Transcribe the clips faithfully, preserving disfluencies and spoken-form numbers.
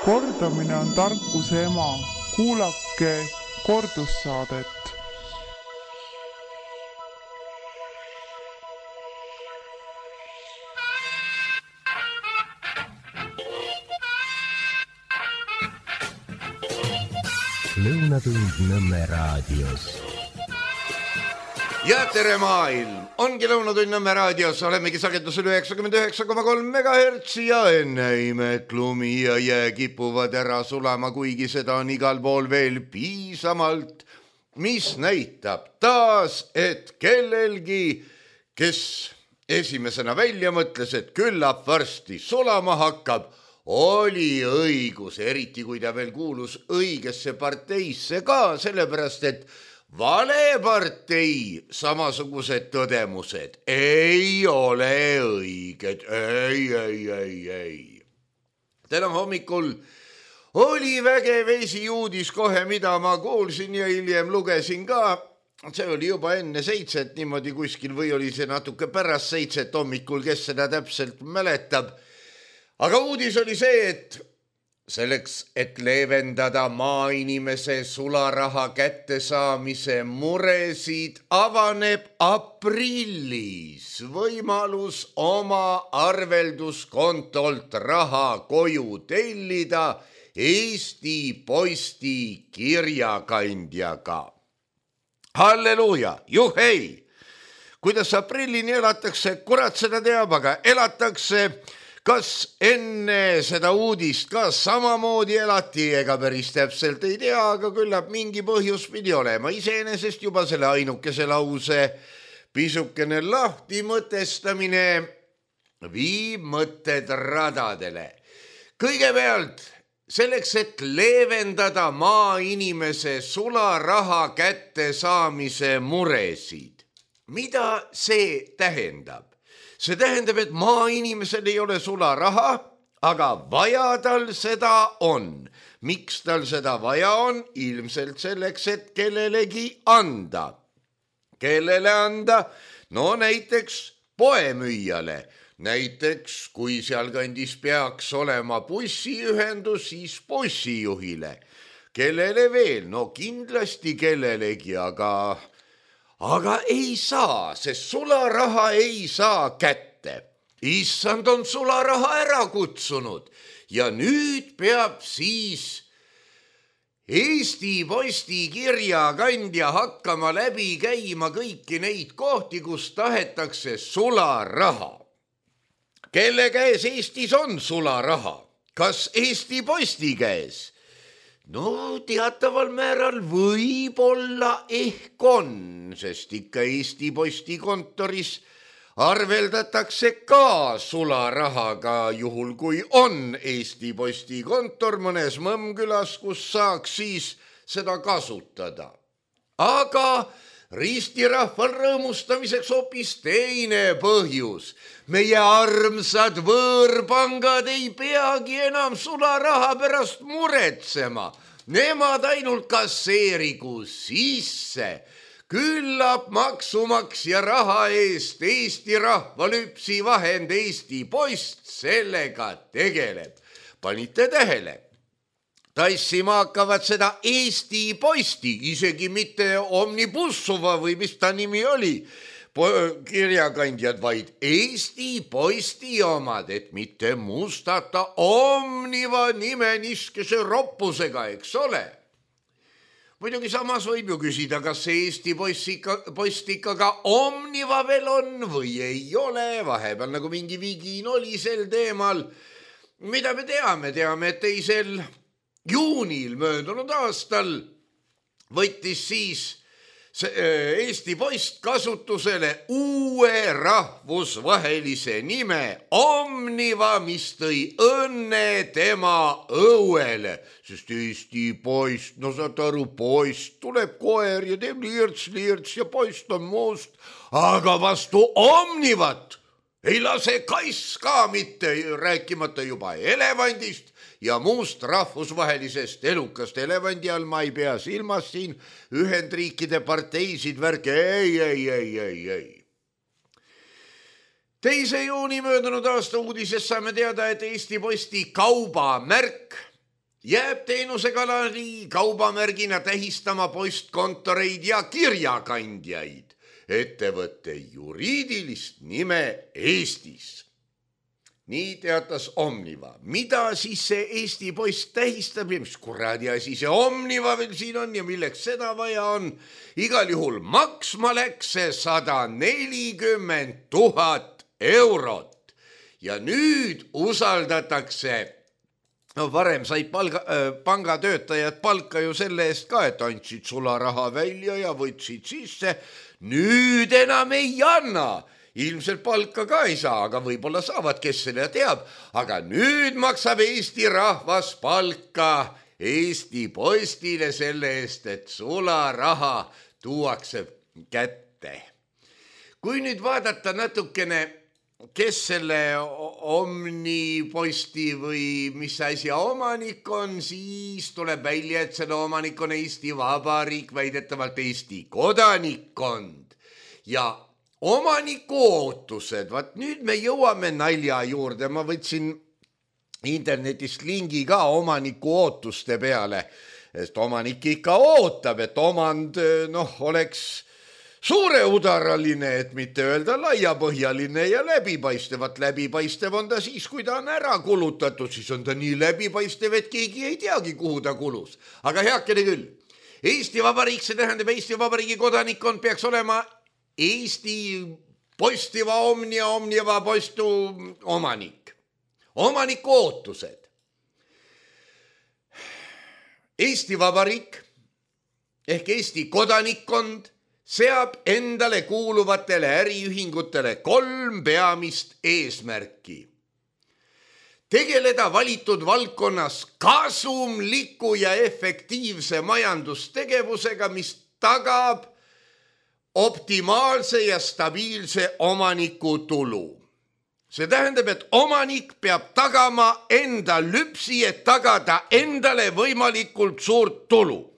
Kordamine on tarkuse ema. Kuulake kordussaadet. Lõunatund Nõmme raadios. Ja tere maailm! Ongi Lõunatund Nõmme raadios. Olemegi sagedusel üheksakümmend üheksa koma kolm megahertsi ja enne imet lumi ja jää kipuvad ära sulama, kuigi seda on igal pool veel piisamalt, mis näitab taas, et kellelgi, kes esimesena välja mõtles, et küllap varsti sulama hakkab, oli õigus, eriti kui ta veel kuulus õigesse parteisse ka, sellepärast et valepartei samasugused tõdemused ei ole õiged. Ei, ei, ei, ei. Täna hommikul oli vägev esiuudis kohe, mida ma kuulsin ja hiljem lugesin ka. See oli juba enne seitset niimoodi kuskil või oli see natuke pärast seitset hommikul, kes seda täpselt mäletab. Aga uudis oli see, et selleks, et leevendada maainimese sularaha kättesaamise muresid, avaneb aprillis võimalus oma arvelduskontolt raha koju tellida Eesti Posti kirjakandjaga. Halleluuja, juhei! Kuidas aprillini elatakse, kurat seda teab, aga elatakse. Kas enne seda uudist ka samamoodi elati, ega päris täpselt ei tea, aga küllap mingi põhjus pidi olema. Iseenesest juba selle ainukese lause pisukene lahti mõtestamine viib mõtted radadele. Kõigepealt selleks, et leevendada maainimese sularaha kättesaamise muresid. Mida see tähendab? See tähendab, et maainimesel ei ole sularaha, aga vaja tal seda on. Miks tal seda vaja on? Ilmselt selleks, et kellelegi anda. Kellele anda? No näiteks poemüüjale. Näiteks, kui seal kandis peaks olema bussiühendus, siis bussijuhile. Kellele veel? No kindlasti kellelegi, aga... Aga ei saa, sest sularaha ei saa kätte. Issand on sularaha ära kutsunud ja nüüd peab siis Eesti Posti kirjakandja hakkama läbi käima kõiki neid kohti, kus tahetakse sularaha. Kelle käes Eestis on sularaha? Kas Eesti Posti käes? No teataval määral võib-olla ehk on, sest ikka Eesti Posti kontoris arveldatakse ka sularahaga juhul, kui on Eesti Posti kontor mõnes Mõmmkülas, kus saaks siis seda kasutada. Aga ristirahval rõõmustamiseks hoopis teine põhjus. Meie armsad võõrpangad ei peagi enam sularaha pärast muretsema. Nemad ainult kasseerigu sisse. Küllap maksumaksja raha eest Eesti rahvalüpsi vahend Eesti Post sellega tegeleb. Panite tähele? Tassima hakkavad seda Eesti Posti, isegi mitte Omnibussova või mis ta nimi oli, kirjakandjad, vaid Eesti Posti omad, et mitte mustata Omniva nime niskese roppusega, eks ole. Muidugi samas võib ju küsida, kas see Eesti Post ikka ka Omniva veel on või ei ole, vahepeal nagu mingi vigiin oli sel teemal. Mida me teame? Teame, et teisel juunil möödunud aastal võttis siis Eesti Post kasutusele uue rahvusvahelise nime Omniva, mis tõi õnne tema õuele, sest Eesti Post, no saad aru, Post tuleb koer ja teeb lirts, lirts ja Post on must, aga vastu Omnivat ei lase kass ka mitte, rääkimata juba elevandist ja muust rahvusvahelisest elukast. Elevandi all ma ei pea silmas siin Ühendriikide parteisid värke, ei, ei, ei, ei, ei. teise juuni möödunud aasta uudises saame teada, et Eesti Posti kaubamärk jääb teenusekanali kaubamärgina tähistama postkontoreid ja kirjakandjaid, ettevõtte juriidilist nime Eestis. Nii teatas Omniva. Mida siis see Eesti Post tähistab ja mis kuradi asi see Omniva veel siin on ja milleks seda vaja on? Igal juhul maksma läks see sada nelikümmend tuhat eurot ja nüüd usaldatakse. No varem said palga, äh, pangatöötajad palka ju selle eest ka, et andsid sularaha välja ja võtsid sisse. Nüüd enam ei anna. Ilmselt palka ka ei saa, aga võib-olla saavad, kes selle teab. Aga nüüd maksab Eesti rahvas palka Eesti Postile selle eest, et sularaha tuuakse kätte. Kui nüüd vaadata natukene, kes selle Omniposti või mis asja omanik on, siis tuleb välja, et selle omanik on Eesti Vabariik, väidetavalt Eesti kodanikkond ja omaniku ootused. Vaat nüüd me jõuame nalja juurde. Ma võtsin internetist lingi ka omaniku ootuste peale, sest omanik ikka ootab, et omand noh, oleks suureudaraline, et mitte öelda laiapõhjaline ja läbipaistevat. Läbipaistev on ta siis, kui ta on ära kulutatud, siis on ta nii läbipaistev, et keegi ei teagi, kuhu ta kulus. Aga heakene küll. Eesti Vabariik, see tähendab Eesti Vabariigi kodanikkond peaks olema Eesti Postiva Omnia, Omniva Postu omanik. Omaniku ootused. Eesti Vabariik ehk Eesti kodanikkond seab endale kuuluvatele äriühingutele kolm peamist eesmärki. Tegeleda valitud valdkonnas kasumliku ja efektiivse majandustegevusega, mis tagab optimaalse ja stabiilse omaniku tulu. See tähendab, et omanik peab tagama enda lüpsi, et tagada endale võimalikult suurt tulu.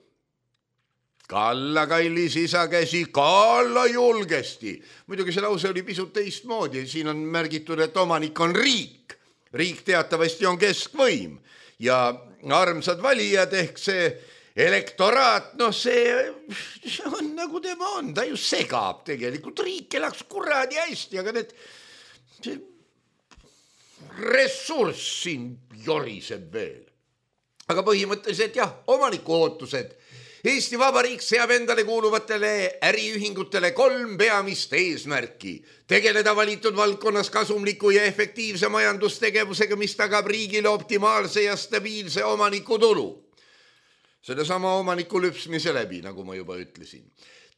Kalla kallis isakäsi, kalla julgesti. Muidugi see lause oli pisut teistmoodi. Siin on märgitud, et omanik on riik. Riik teatavasti on keskvõim ja armsad valijad ehk see elektoraat, noh see, see on nagu tema on, ta ju segab tegelikult, riik elaks kuradi hästi, aga need see ressurss siin joriseb veel. Aga põhimõtteliselt jah, omaniku ootused. Eesti Vabariik seab endale kuuluvatele äriühingutele kolm peamist eesmärki. Tegeleda valitud valdkonnas kasumliku ja efektiivse majandustegevusega, mis tagab riigile optimaalse ja stabiilse omaniku tulu. Selle sama omaniku lüpsmise läbi, nagu ma juba ütlesin.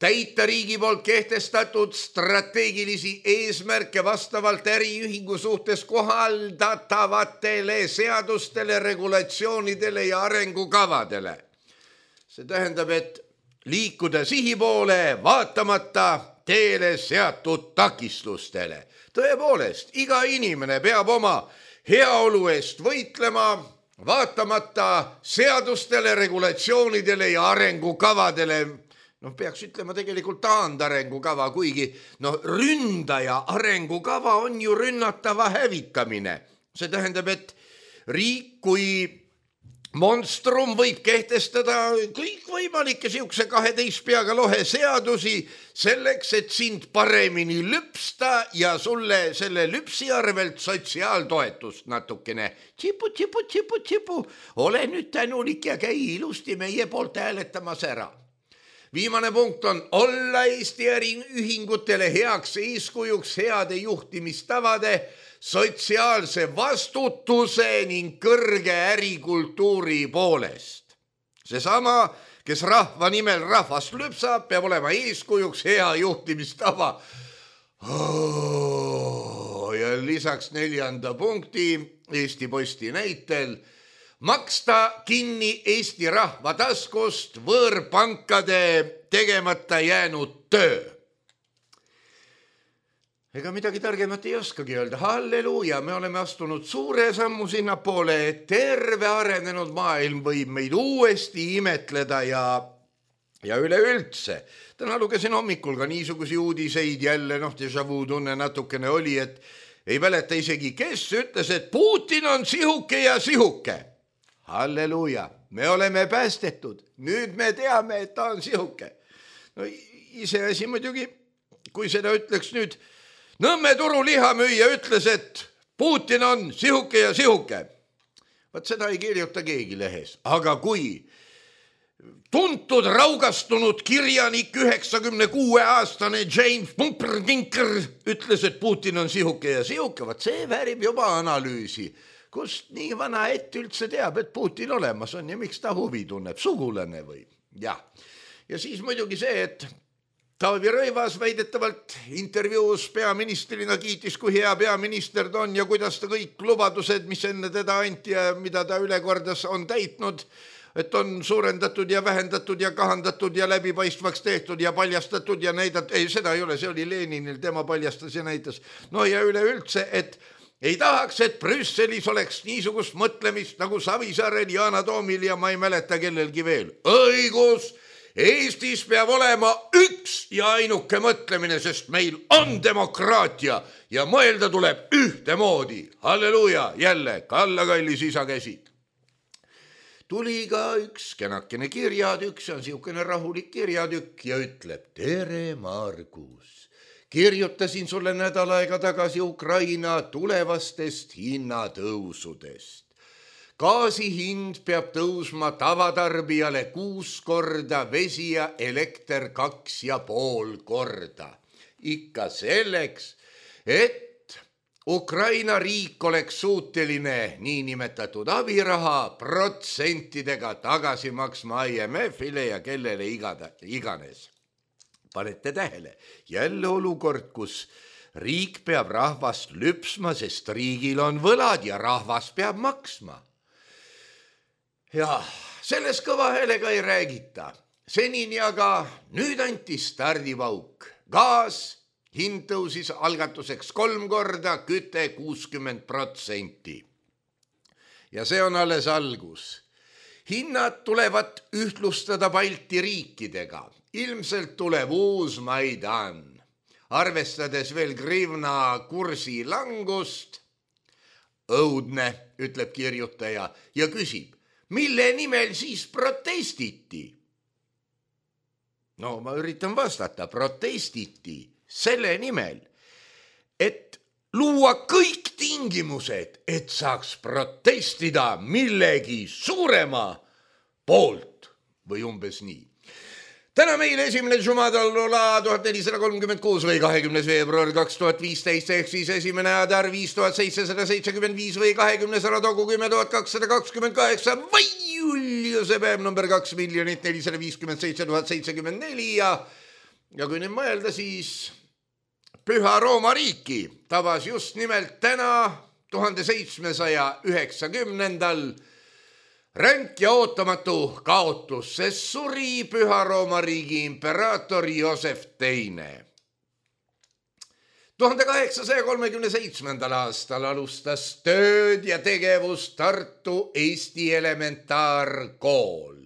Täita riigi poolt kehtestatud strateegilisi eesmärke vastavalt äriühingu suhtes kohaldatavatele seadustele, regulatsioonidele ja arengukavadele. See tähendab, et liikuda sihi poole vaatamata teele seatud takistustele. Tõepoolest, iga inimene peab oma heaolu eest võitlema, vaatamata seadustele, regulatsioonidele ja arengukavadele. Noh, peaks ütlema tegelikult taandarengukava, kuigi no, ründaja arengukava on ju rünnatava hävitamine. See tähendab, et riik kui monstrum võib kehtestada kõik võimalikke siukse kaheteist peaga lohe seadusi selleks, et sind paremini lüpsta ja sulle selle lüpsi arvelt sotsiaaltoetust natukene. Tsipu, tsipu, tsipu, tsipu. Ole nüüd tänulik ja käi ilusti meie poolt hääletamas ära. Viimane punkt on olla Eesti äriühingutele heaks eeskujuks heade juhtimistavade, sotsiaalse vastutuse ning kõrge ärikultuuri poolest. Seesama, kes rahva nimel rahvast lüpsab, peab olema eeskujuks hea juhtimistava. Oh, ja lisaks neljanda punkti Eesti Posti näitel maksta kinni Eesti rahva taskust võõrpankade tegemata jäänud töö. Ega midagi targemat ei oskagi öelda. Halleluuja, me oleme astunud suure sammu sinna poole, et terve arenenud maailm võib meid uuesti imetleda ja, ja üleüldse. Täna lugesin hommikul ka niisugusi uudiseid jälle, noh, déjà vu tunne natukene oli, et ei mäleta isegi, kes ütles, et Putin on sihuke ja sihuke. halleluuja, me oleme päästetud, nüüd me teame, et ta on sihuke. No ise asi muidugi, kui seda ütleks nüüd, Nõmme turu lihamüüja ütles, et Putin on sihuke ja sihuke. Vaat seda ei kirjuta keegi lehes, aga kui tuntud raugastunud kirjanik üheksakümne kuue aastane James Pumperkinker ütles, et Putin on sihuke ja sihuke, vaat see väärib juba analüüsi. Kust nii vana ett üldse teab, et Putin olemas on ja miks ta huvi tunneb, sugulane või? Jah. Ja siis muidugi see, et Taavi Rõivas väidetavalt intervjuus peaministrina kiitis, kui hea peaminister ta on ja kuidas ta kõik lubadused, mis enne teda anti ja mida ta ülekordas on täitnud, et on suurendatud ja vähendatud ja kahandatud ja läbipaistvaks tehtud ja paljastatud ja näidatud. Ei, seda ei ole, see oli Leninil, tema paljastas ja näitas. No ja üleüldse, et ei tahaks, et Brüsselis oleks niisugust mõtlemist nagu Savisaarel, Yana Toomil ja ma ei mäleta kellelgi veel. Õigus! Eestis peab olema üks ja ainuke mõtlemine, sest meil on demokraatia ja mõelda tuleb ühtemoodi. Halleluja, jälle Kalla kallis isa käsi. Tuli ka üks kenakene kirjatükk, see on siukene rahulik kirjatükk ja ütleb: tere, Margus. Kirjutasin sulle nädal aega tagasi Ukraina tulevastest hinnatõusudest. Gaasi hind peab tõusma tavatarbijale kuus korda, vesi ja elekter kaks ja pool korda. Ikka selleks, et Ukraina riik oleks suuteline niinimetatud abiraha protsentidega tagasi maksma I M F-ile ja kellele igada, iganes. Panete tähele, jälle olukord, kus riik peab rahvast lüpsma, sest riigil on võlad ja rahvas peab maksma. Ja selles kõva häälega ei räägita. Senini aga nüüd anti stardipauk. Gaas hind tõusis algatuseks kolm korda, küte kuuskümmend protsenti. Ja see on alles algus. Hinnad tulevad ühtlustada Balti riikidega. Ilmselt tuleb uus Maidan. Arvestades veel grivna kursi langust, õudne, ütleb kirjutaja ja küsib, mille nimel siis protestiti? No ma üritan vastata, protestiti selle nimel, et luua kõik tingimused, et saaks protestida millegi suurema poolt või umbes nii. Täna meil esimene Jumadalola tuhat nelisada kolmkümmend kuus või kahekümnes veebruar kaks tuhat viisteist ehk siis esimene Adar viis tuhat seitsesada seitsekümmend viis või kahekümnes Radogu kümme tuhat kakssada kakskümmend kaheksa või Juliuse päev number kaks miljonit nelisada viiskümmend seitse tuhat seitsekümmend neli ja, ja kui nüüd mõelda, siis Püha Rooma riiki tabas just nimelt täna tuhande seitsmesaja üheksakümnendal ränk ja ootamatu kaotus, sest suri Püha Rooma riigi imperaator Joosef teine. tuhande kaheksasaja kolmekümne seitsmendal aastal alustas tööd ja tegevust Tartu Eesti elementaarkool.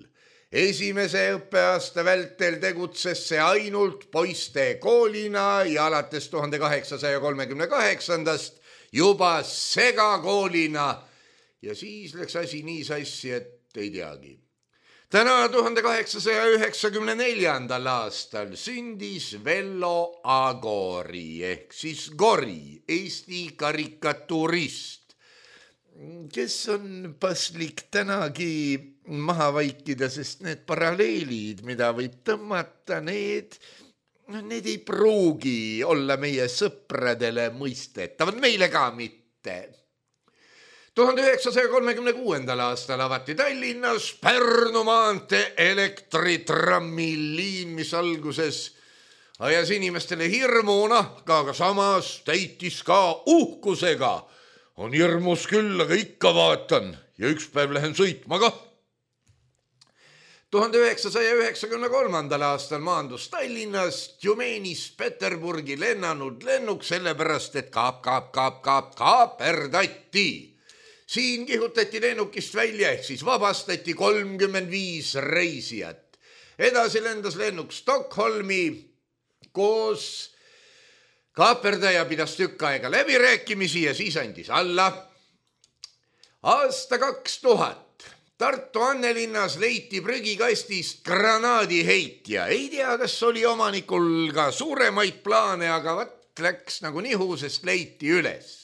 Esimese õppeaasta vältel tegutses see ainult poiste koolina ja alates tuhande kaheksasaja kolmekümne kaheksandast juba segakoolina. Ja siis läks asi nii sassi, et ei teagi. Täna tuhande kaheksasaja üheksakümne neljandal aastal sündis Vello Agori ehk siis Gori, Eesti karikaturist, kes on paslik tänagi maha vaikida, sest need paralleelid, mida võib tõmmata, need, need ei pruugi olla meie sõpradele mõistetavad, meile ka mitte. tuhande üheksasaja kolmekümne kuuendal aastal avati Tallinnas Pärnu maantee elektritrammi-liin, mis alguses ajas inimestele hirmu, nahka, aga samas täitis ka uhkusega. On hirmus küll, aga ikka vaatan ja üks päev lähen sõitma ka. tuhande üheksasaja üheksakümne kolmandal aastal maandus Tallinnast Tjumenist Peterburgi lennanud lennuk sellepärast, et kaap, kaap, kaap, kaap, kaaperdati. Siin kihutati lennukist välja ehk siis vabastati kolmkümmend viis reisijat. Edasi lendas lennuk Stockholmi, koos kaaperdaja pidas tükk aega läbirääkimisi ja siis andis alla. Aasta kaks tuhat Tartu Annelinnas leiti prügikastist granaadiheitja. Ei tea, kas oli omanikul ka suuremaid plaane, aga vat läks nagu nihu, sest leiti üles.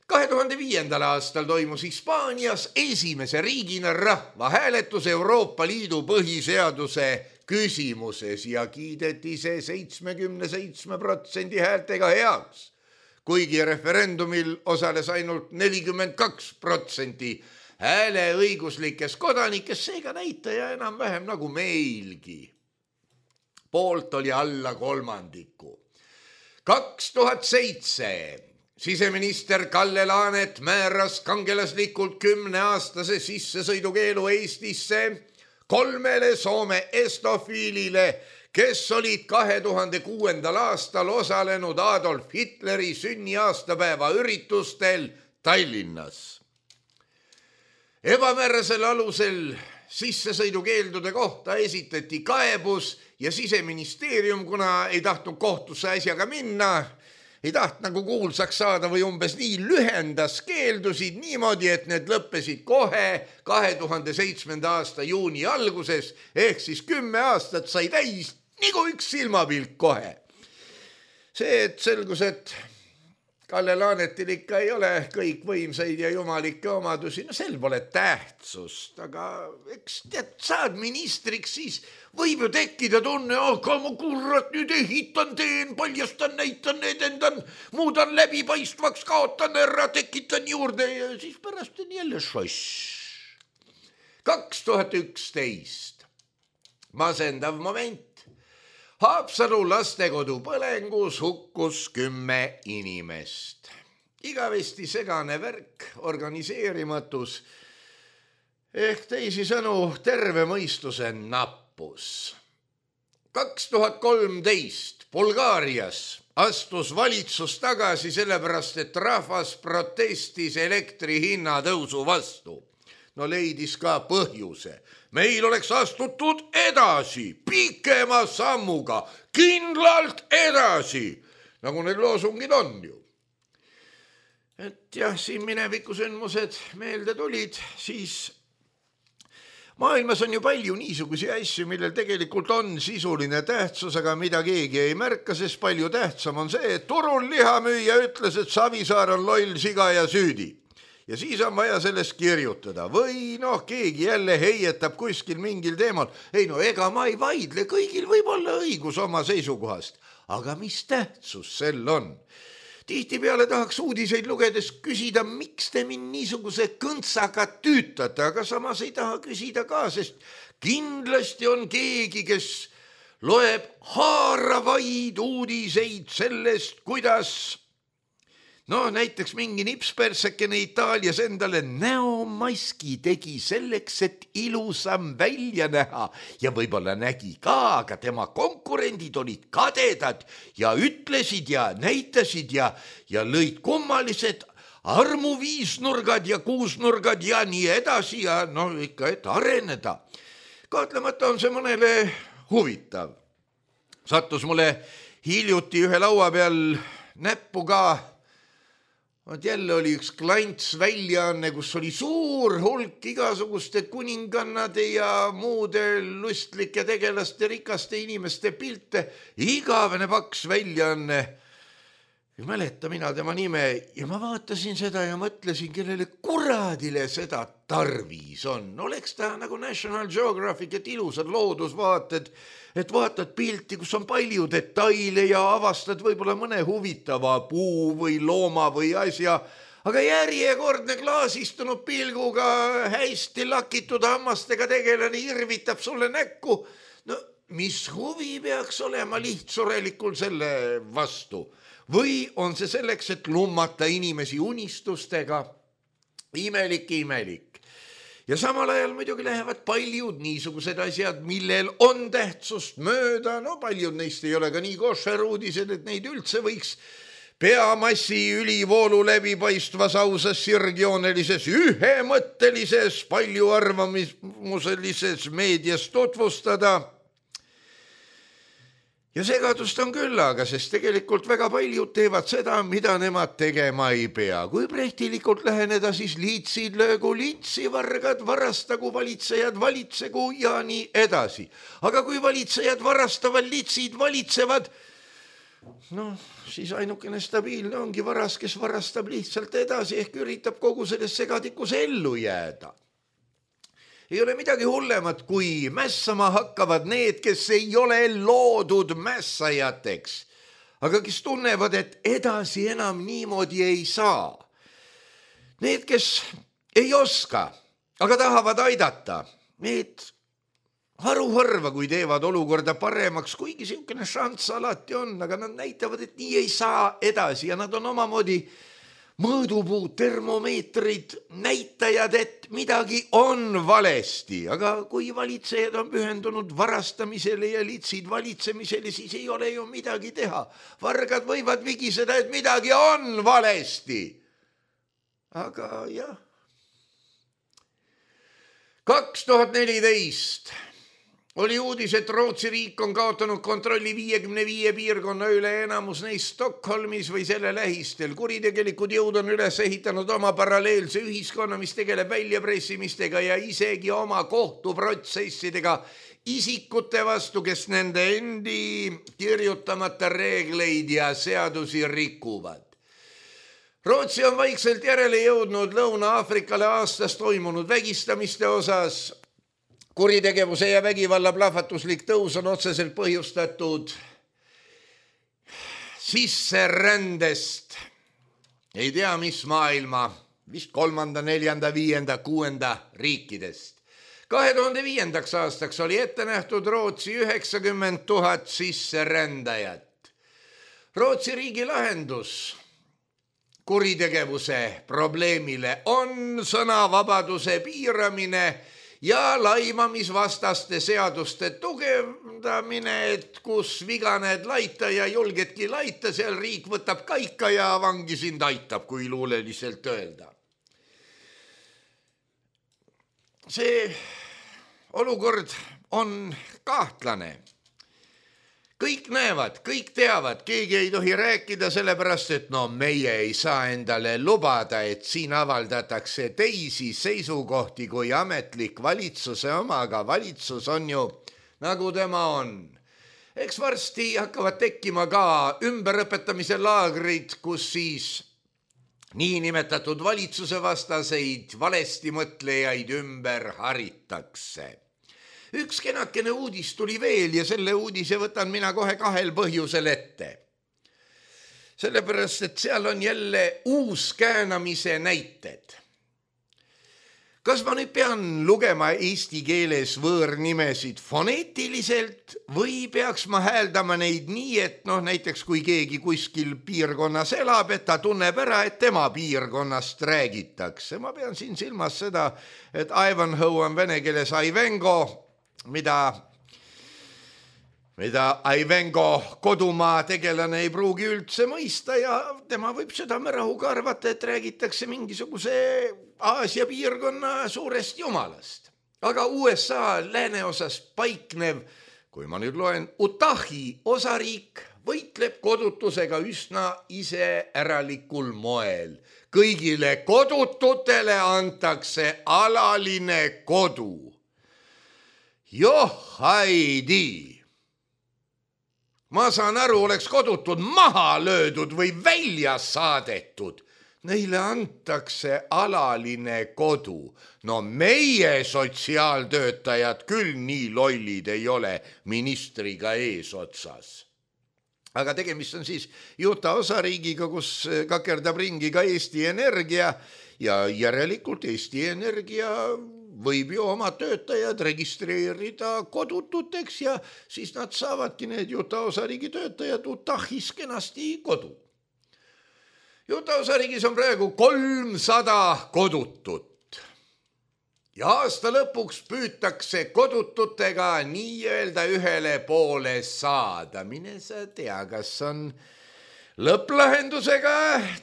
kahe tuhande viiendal aastal toimus Hispaanias esimese riigina rahvahääletus Euroopa Liidu põhiseaduse küsimuses ja kiideti see seitsmekümne seitsme protsendi häältega heaks, kuigi referendumil osales ainult nelikümmend kaks protsenti hääleõiguslikes kodanikes, seega näitaja enam-vähem nagu meilgi. Poolt oli alla kolmandiku. kaks tuhat seitse siseminister Kalle Laanet määras kangelaslikult kümneaastase sissesõidukeelu Eestisse kolmele Soome estofiilile, kes olid kahe tuhande kuuendal aastal osalenud Adolf Hitleri sünniaastapäeva üritustel Tallinnas. Ebamäärasel alusel sissesõidukeeldude kohta esitati kaebus ja Siseministeerium, kuna ei tahtnud kohtusse asjaga minna, ei taht nagu kuulsaks saada või umbes nii, lühendas keeldusid niimoodi, et need lõppesid kohe kahe tuhande seitsmenda aasta juuni alguses, ehk siis kümme aastat sai täis nagu üks silmapilk kohe. See, et selgus, et Kalle Laanetil ikka ei ole kõik võimsaid ja jumalikke omadusi, no sel pole tähtsust, aga eks tead, saad ministriks, siis võib ju tekkida tunne, aga ma kurrat nüüd ehitan, teen, paljastan, näitan, edendan, muudan läbipaistvaks, kaotan ära, tekitan juurde ja siis pärast on jälle šoss. kaks tuhat üksteist, masendav moment. Haapsalu lastekodu põlengus hukkus kümme inimest. Igavesti segane värk, organiseerimatus ehk teisisõnu terve mõistuse nappus. kaks tuhat kolmteist Bulgaarias astus valitsus tagasi sellepärast, et rahvas protestis elektri hinna tõusu vastu. No leidis ka põhjuse. Meil oleks astutud edasi, pikema sammuga, kindlalt edasi, nagu need loosungid on ju. Et jah, siin minevikusündmused meelde tulid, siis maailmas on ju palju niisugusi asju, millel tegelikult on sisuline tähtsus, aga mida keegi ei märka, sest palju tähtsam on see, et turul lihamüüja ütles, et Savisaar on loll, siga ja süüdi. Ja siis on vaja sellest kirjutada või noh, keegi jälle heietab kuskil mingil teemal. Ei no ega ma ei vaidle, kõigil võib olla õigus oma seisukohast, aga mis tähtsus sel on? Tihtipeale tahaks uudiseid lugedes küsida, miks te mind niisuguse kõntsaga tüütate, aga samas ei taha küsida ka, sest kindlasti on keegi, kes loeb haaravaid uudiseid sellest, kuidas no näiteks mingi nipspersekene Itaalias endale näomaski tegi selleks, et ilusam välja näha ja võib-olla nägi ka, aga tema konkurendid olid kadedad ja ütlesid ja näitasid ja, ja lõid kummalised armuviisnurgad ja kuusnurgad ja nii edasi ja no ikka, et areneda. Kahtlemata on see mõnele huvitav. Sattus mulle hiljuti ühe laua peal näppu ka. Vaat jälle oli üks klants väljaanne, kus oli suur hulk igasuguste kuningannade ja muude lustlike tegelaste, rikaste inimeste pilte. Igavene paks väljaanne. Ei mäleta mina tema nime ja ma vaatasin seda ja mõtlesin, kellele kuradile seda tarvis on. Oleks ta nagu National Geographic, et ilusad loodusvaated, et vaatad pilti, kus on palju detaile ja avastad võib-olla mõne huvitava puu või looma või asja, aga järjekordne klaasistunud pilguga hästi lakitud hammastega tegelane irvitab sulle näkku. No mis huvi peaks olema lihtsurelikul selle vastu? Või on see selleks, et lummata inimesi unistustega? Imelik, imelik. Ja samal ajal muidugi lähevad paljud niisugused asjad, millel on tähtsust mööda. No paljud neist ei ole ka nii košer uudised, et neid üldse võiks peamassi ülivoolu läbipaistvas ausas sirgjoonelises ühemõttelises palju arvamuselises meedias tutvustada. ja segadust on küll, aga sest tegelikult väga paljud teevad seda, mida nemad tegema ei pea. Kui prehtilikult läheneda, siis liitsid löögu liitsi, vargad varastagu, valitsejad valitsegu ja nii edasi. Aga kui valitsejad varastavad, liitsid valitsevad, noh, siis ainukene stabiilne ongi varas, kes varastab lihtsalt edasi ehk üritab kogu selles segadikus ellu jääda. Ei ole midagi hullemat, kui mässama hakkavad need, kes ei ole loodud mässajateks, aga kes tunnevad, et edasi enam niimoodi ei saa. Need, kes ei oska, aga tahavad aidata, need haruharva, kui teevad olukorda paremaks, kuigi siukene šanss alati on, aga nad näitavad, et nii ei saa edasi ja nad on omamoodi mõõdupuud, termomeetrid, näitajad, et midagi on valesti, aga kui valitsejad on pühendunud varastamisele ja litsid valitsemisele, siis ei ole ju midagi teha. Vargad võivad vigiseda, et midagi on valesti. Aga jah. kaks tuhat neliteist oli uudis, et Rootsi riik on kaotanud kontrolli viiekümne viie piirkonna üle, enamus neist Stockholmis või selle lähistel. Kuritegelikud jõud on üles ehitanud oma paralleelse ühiskonna, mis tegeleb väljapressimistega ja isegi oma kohtuprotsessidega isikute vastu, kes nende endi kirjutamata reegleid ja seadusi rikuvad. Rootsi on vaikselt järele jõudnud Lõuna-Aafrikale aastas toimunud vägistamiste osas. Kuritegevuse ja vägivalla plahvatuslik tõus on otseselt põhjustatud sisserändest. Ei tea, mis maailma, vist kolmanda, neljanda, viienda, kuuenda riikidest. kahe tuhande viiendaks aastaks oli ette nähtud Rootsi üheksakümmend tuhat sisserändajat. Rootsi riigi lahendus kuritegevuse probleemile on sõnavabaduse piiramine ja laimamisvastaste seaduste tugevdamine, et kus viganed laita ja julgedki laita, seal riik võtab kaika ja vangi sind aitab, kui luuleliselt öelda. See olukord on kahtlane. Kõik näevad, kõik teavad, keegi ei tohi rääkida sellepärast, et no meie ei saa endale lubada, et siin avaldatakse teisi seisukohti kui ametlik valitsuse oma, aga valitsus on ju nagu tema on. Eks varsti hakkavad tekkima ka ümberõpetamise laagrid, kus siis niinimetatud valitsuse vastaseid valesti mõtlejaid ümber haritakse. Üks kenakene uudis tuli veel ja selle uudise võtan mina kohe kahel põhjusel ette. Sellepärast, et seal on jälle uus käänamise näited. Kas ma nüüd pean lugema eesti keeles võõrnimesid foneetiliselt või peaks ma hääldama neid nii, et noh, näiteks kui keegi kuskil piirkonnas elab, et ta tunneb ära, et tema piirkonnast räägitakse. Ma pean siin silmas seda, et Ivanhoe on vene keeles Aivengo, mida, mida Aivengo kodumaa tegelane ei pruugi üldse mõista ja tema võib südamerahuga arvata, et räägitakse mingisuguse Aasia piirkonna suurest jumalast. Aga U S A lääneosas paiknev, kui ma nüüd loen, Utahi osariik võitleb kodutusega üsna iseäralikul moel. Kõigile kodututele antakse alaline kodu. Joh, haidi! Ma saan aru, oleks kodutud maha löödud või välja saadetud. Neile antakse alaline kodu. No meie sotsiaaltöötajad küll nii lollid ei ole ministriga eesotsas. Aga tegemist on siis Utah osariigiga, kus kakerdab ringi ka Eesti Energia ja järelikult Eesti Energia võib ju oma töötajad registreerida kodututeks ja siis nad saavadki need Utah osariigi töötajad Utahis kenasti kodu. Utah osariigis on praegu kolmsada kodutut ja aasta lõpuks püütakse kodututega nii-öelda ühele poole saada. Mine sa tea, kas on lõpplahendusega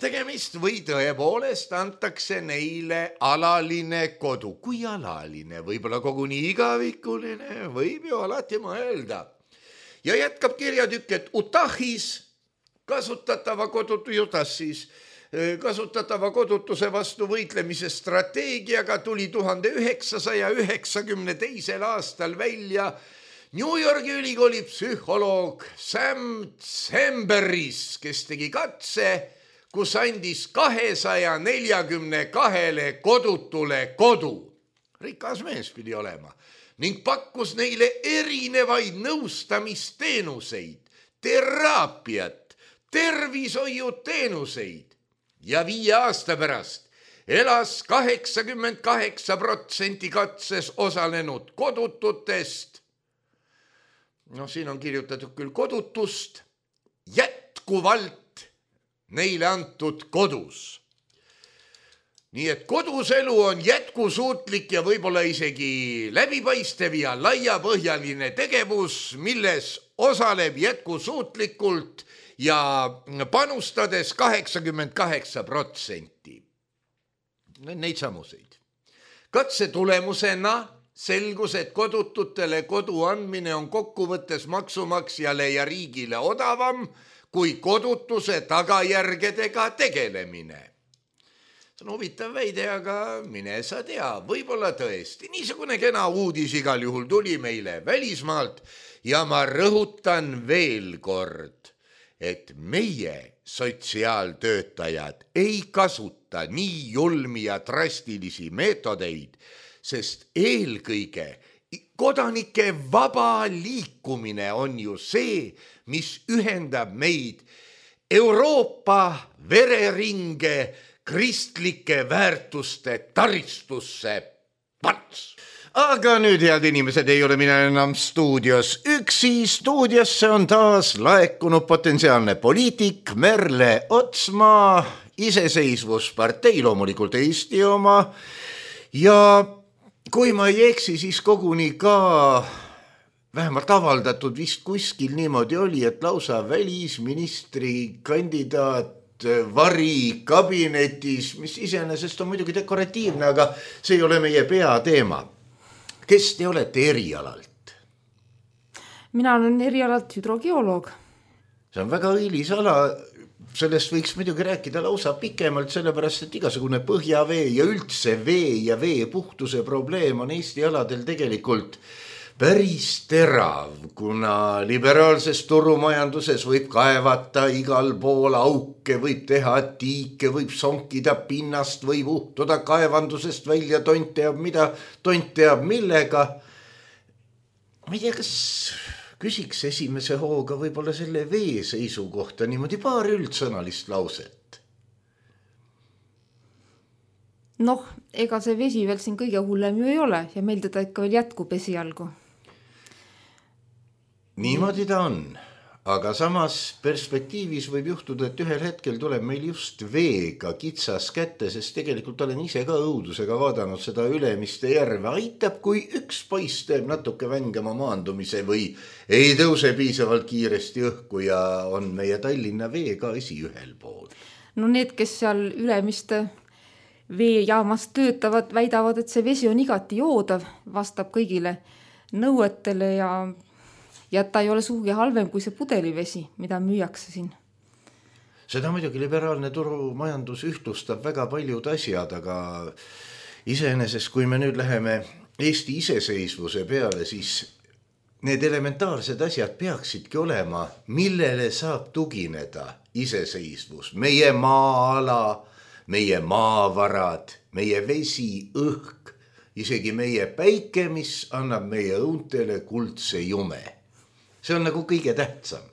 tegemist või tõepoolest antakse neile alaline kodu. Kui alaline, võib-olla koguni igavikuline, võib ju alati mõelda. Ja jätkab kirjatükk, et Utahis kasutatava kodutujutas siis kasutatava kodutuse vastu võitlemise strateegiaga tuli tuhande üheksasaja üheksakümne teisel aastal välja New Yorgi ülikooli psühholoog Sam Zemberis, kes tegi katse, kus andis kahesaja neljakümne kahele kodutule kodu. Rikas mees pidi olema ning pakkus neile erinevaid nõustamisteenuseid, teraapiat, tervishoiuteenuseid. Ja viie aasta pärast elas kaheksakümmend kaheksa protsenti katses osalenud kodututest. No siin on kirjutatud küll kodutust, jätkuvalt neile antud kodus. Nii et kodus elu on jätkusuutlik ja võib-olla isegi läbipaistev ja laiapõhjaline tegevus, milles osaleb jätkusuutlikult ja panustades kaheksakümmend kaheksa protsenti. Neid samuseid. Katse tulemusena selgus, et kodututele kodu andmine on kokkuvõttes maksumaksjale ja riigile odavam kui kodutuse tagajärgedega tegelemine. See on huvitav väide, aga mine sa tea, võib-olla tõesti. Niisugune kena uudis igal juhul tuli meile välismaalt ja ma rõhutan veel kord, et meie sotsiaaltöötajad ei kasuta nii julmi ja drastilisi meetodeid, sest eelkõige kodanike vaba liikumine on ju see, mis ühendab meid Euroopa vereringe kristlike väärtuste taristusse pants. Aga nüüd, head inimesed, ei ole mina enam stuudios üksi. Stuudiosse on taas laekunud potentsiaalne poliitik Merle Otsmaa, iseseisvuspartei, loomulikult Eesti oma. Ja kui ma ei eksi, siis koguni ka vähemalt avaldatud vist kuskil niimoodi oli, et lausa välisministri kandidaat vari kabinetis, mis iseenesest on muidugi dekoratiivne, aga see ei ole meie peateema. Kes te olete erialalt? Mina olen erialalt hüdrogeoloog. See on väga õilis ala. Sellest võiks muidugi rääkida lausa pikemalt, sellepärast, et igasugune põhjavee ja üldse vee ja vee puhtuse probleem on Eesti aladel tegelikult päris terav, kuna liberaalses turumajanduses võib kaevata igal pool auke, võib teha tiike, võib sonkida pinnast, võib uhtuda kaevandusest välja, tont teab mida, tont teab millega. Ma ei tea, kas küsiks esimese hooga võib-olla selle vee seisukohta niimoodi paar üldsõnalist lauset. Noh, ega see vesi veel siin kõige hullem ju ei ole ja meil teda ikka veel jätkub esialgu. Niimoodi ta on, aga samas perspektiivis võib juhtuda, et ühel hetkel tuleb meil just veega kitsas kätte, sest tegelikult olen ise ka õudusega vaadanud seda Ülemiste järve. Aitab, kui üks poiss teeb natuke vängema maandumise või ei tõuse piisavalt kiiresti õhku ja on meie Tallinna vee ka esi ühel pool. No need, kes seal Ülemiste veejaamas töötavad, väidavad, et see vesi on igati joodav, vastab kõigile nõuetele ja ja ta ei ole suugi halvem kui see pudelivesi, mida müüakse siin. Seda muidugi liberaalne turumajandus ühtlustab väga paljud asjad, aga iseenesest, kui me nüüd läheme Eesti iseseisvuse peale, siis need elementaarsed asjad peaksidki olema, millele saab tugineda iseseisvus. Meie maa-ala, meie maavarad, meie vesi, õhk, isegi meie päike, mis annab meie õuntele kuldse jume. See on nagu kõige tähtsam.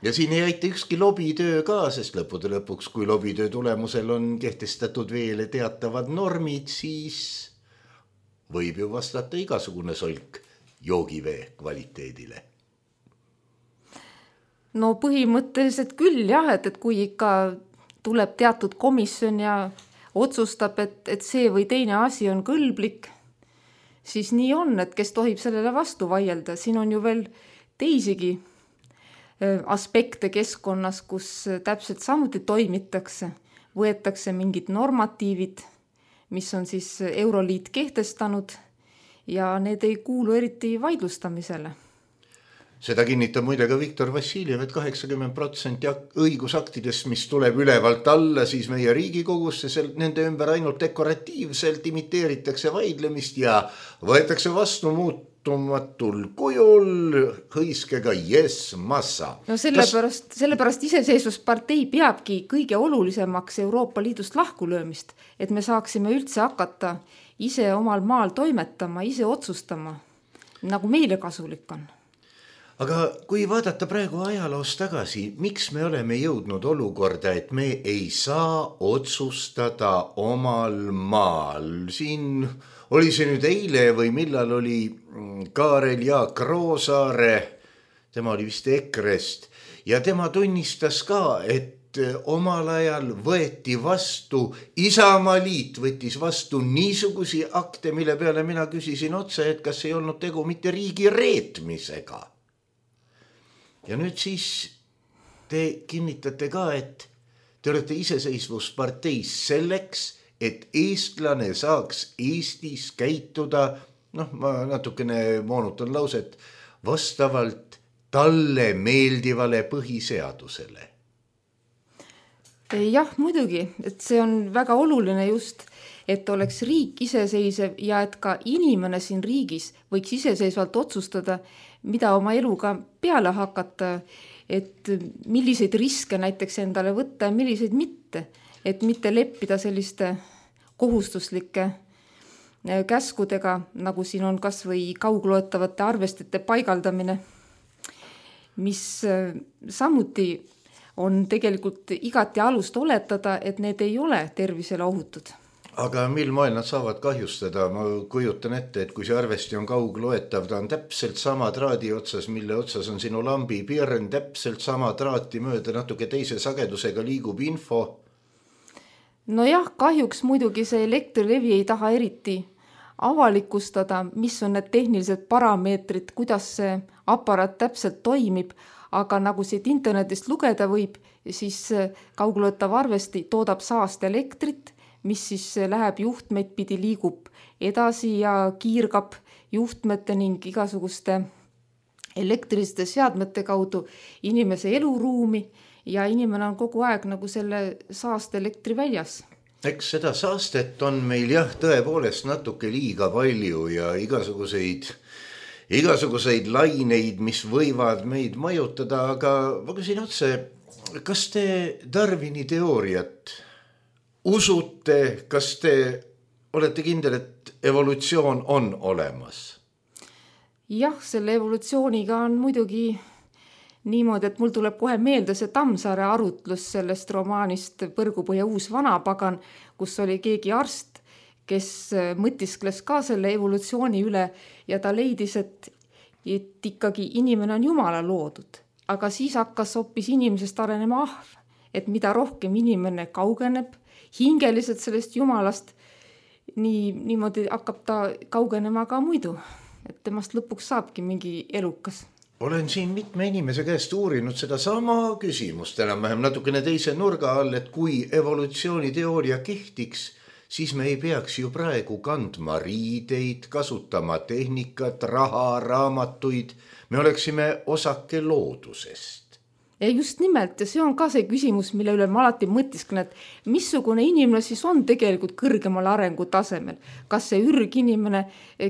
Ja siin ei aita ükski lobitöö ka, sest lõppude lõpuks, kui lobitöö tulemusel on kehtestatud veele teatavad normid, siis võib ju vastata igasugune solk joogivee kvaliteedile. No põhimõtteliselt küll jah, et, et kui ikka tuleb teatud komisjon ja otsustab, et, et see või teine asi on kõlblik, siis nii on, et kes tohib sellele vastu vaielda. Siin on ju veel teisigi aspekte keskkonnas, kus täpselt samuti toimitakse. Võetakse mingid normatiivid, mis on siis Euroliit kehtestanud ja need ei kuulu eriti vaidlustamisele. Seda kinnitab muide ka Viktor Vassiljev, et kaheksakümmend protsenti õigusaktidest, mis tuleb ülevalt alla, siis meie Riigikogusse, nende ümber ainult dekoratiivselt imiteeritakse vaidlemist ja võetakse vastu muutumatul kujul hõiskega yes massa. No sellepärast, Kas... sellepärast iseseisvuspartei peabki kõige olulisemaks Euroopa Liidust lahkulöömist, et me saaksime üldse hakata ise omal maal toimetama, ise otsustama, nagu meile kasulik on. Aga kui vaadata praegu ajaloos tagasi, miks me oleme jõudnud olukorda, et me ei saa otsustada omal maal? Siin oli see nüüd eile või millal oli Kaarel Jaak Roosaare, tema oli vist Ekrest, ja tema tunnistas ka, et omal ajal võeti vastu, Isamaaliit võttis vastu niisugusi akte, mille peale mina küsisin otse, et kas ei olnud tegu mitte riigi reetmisega. Ja nüüd siis te kinnitate ka, et te olete iseseisvusparteis selleks, et eestlane saaks Eestis käituda, noh, ma natukene moonutan lauset, vastavalt talle meeldivale põhiseadusele. Jah, muidugi, et see on väga oluline just, et oleks riik iseseisev ja et ka inimene siin riigis võiks iseseisvalt otsustada, mida oma eluga peale hakata, et milliseid riske näiteks endale võtta ja milliseid mitte, et mitte leppida selliste kohustuslike käskudega, nagu siin on kas või kaugloetavate arvestite paigaldamine, mis samuti on tegelikult igati alust oletada, et need ei ole tervisele ohutud. Aga mil moel nad saavad kahjustada? Ma kujutan ette, et kui see arvesti on kaugloetav, ta on täpselt sama traadi otsas, mille otsas on sinu lambi pirn, täpselt sama traati mööda, natuke teise sagedusega liigub info. No jah, kahjuks muidugi see Elektrilevi ei taha eriti avalikustada, mis on need tehnilised parameetrid, kuidas see aparaat täpselt toimib, aga nagu siit internetist lugeda võib, siis kaugloetav arvesti toodab saast elektrit, mis siis läheb juhtmeid pidi, liigub edasi ja kiirgab juhtmete ning igasuguste elektriliste seadmete kaudu inimese eluruumi ja inimene on kogu aeg nagu selle saast elektri väljas. Eks seda saastet on meil jah tõepoolest natuke liiga palju ja igasuguseid, igasuguseid laineid, mis võivad meid majutada, aga ma küsin otse, kas te Darwini teooriat usute, kas te olete kindel, et evolutsioon on olemas? Jah, selle evolutsiooniga on muidugi niimoodi, et mul tuleb kohe meelde see Tammsaare arutlus sellest romaanist Põrgupõhja uus vanapagan, kus oli keegi arst, kes mõtiskles ka selle evolutsiooni üle ja ta leidis, et, et ikkagi inimene on Jumala loodud. Aga siis hakkas hoopis inimesest arenema ahv, et mida rohkem inimene kaugeneb, hingeliselt sellest Jumalast, nii, niimoodi hakkab ta kaugenema ka muidu, et temast lõpuks saabki mingi elukas. Olen siin mitme inimese käest uurinud seda sama küsimust, enam-vähem natukene teise nurga all, et kui evolutsiooniteooria kehtiks, siis me ei peaks ju praegu kandma riideid, kasutama tehnikat, raha, raamatuid, me oleksime osake loodusest. Ja just nimelt, ja see on ka see küsimus, mille üle ma alati mõtisklen, et missugune inimene siis on tegelikult kõrgemal arengutasemel. Kas see ürginimene,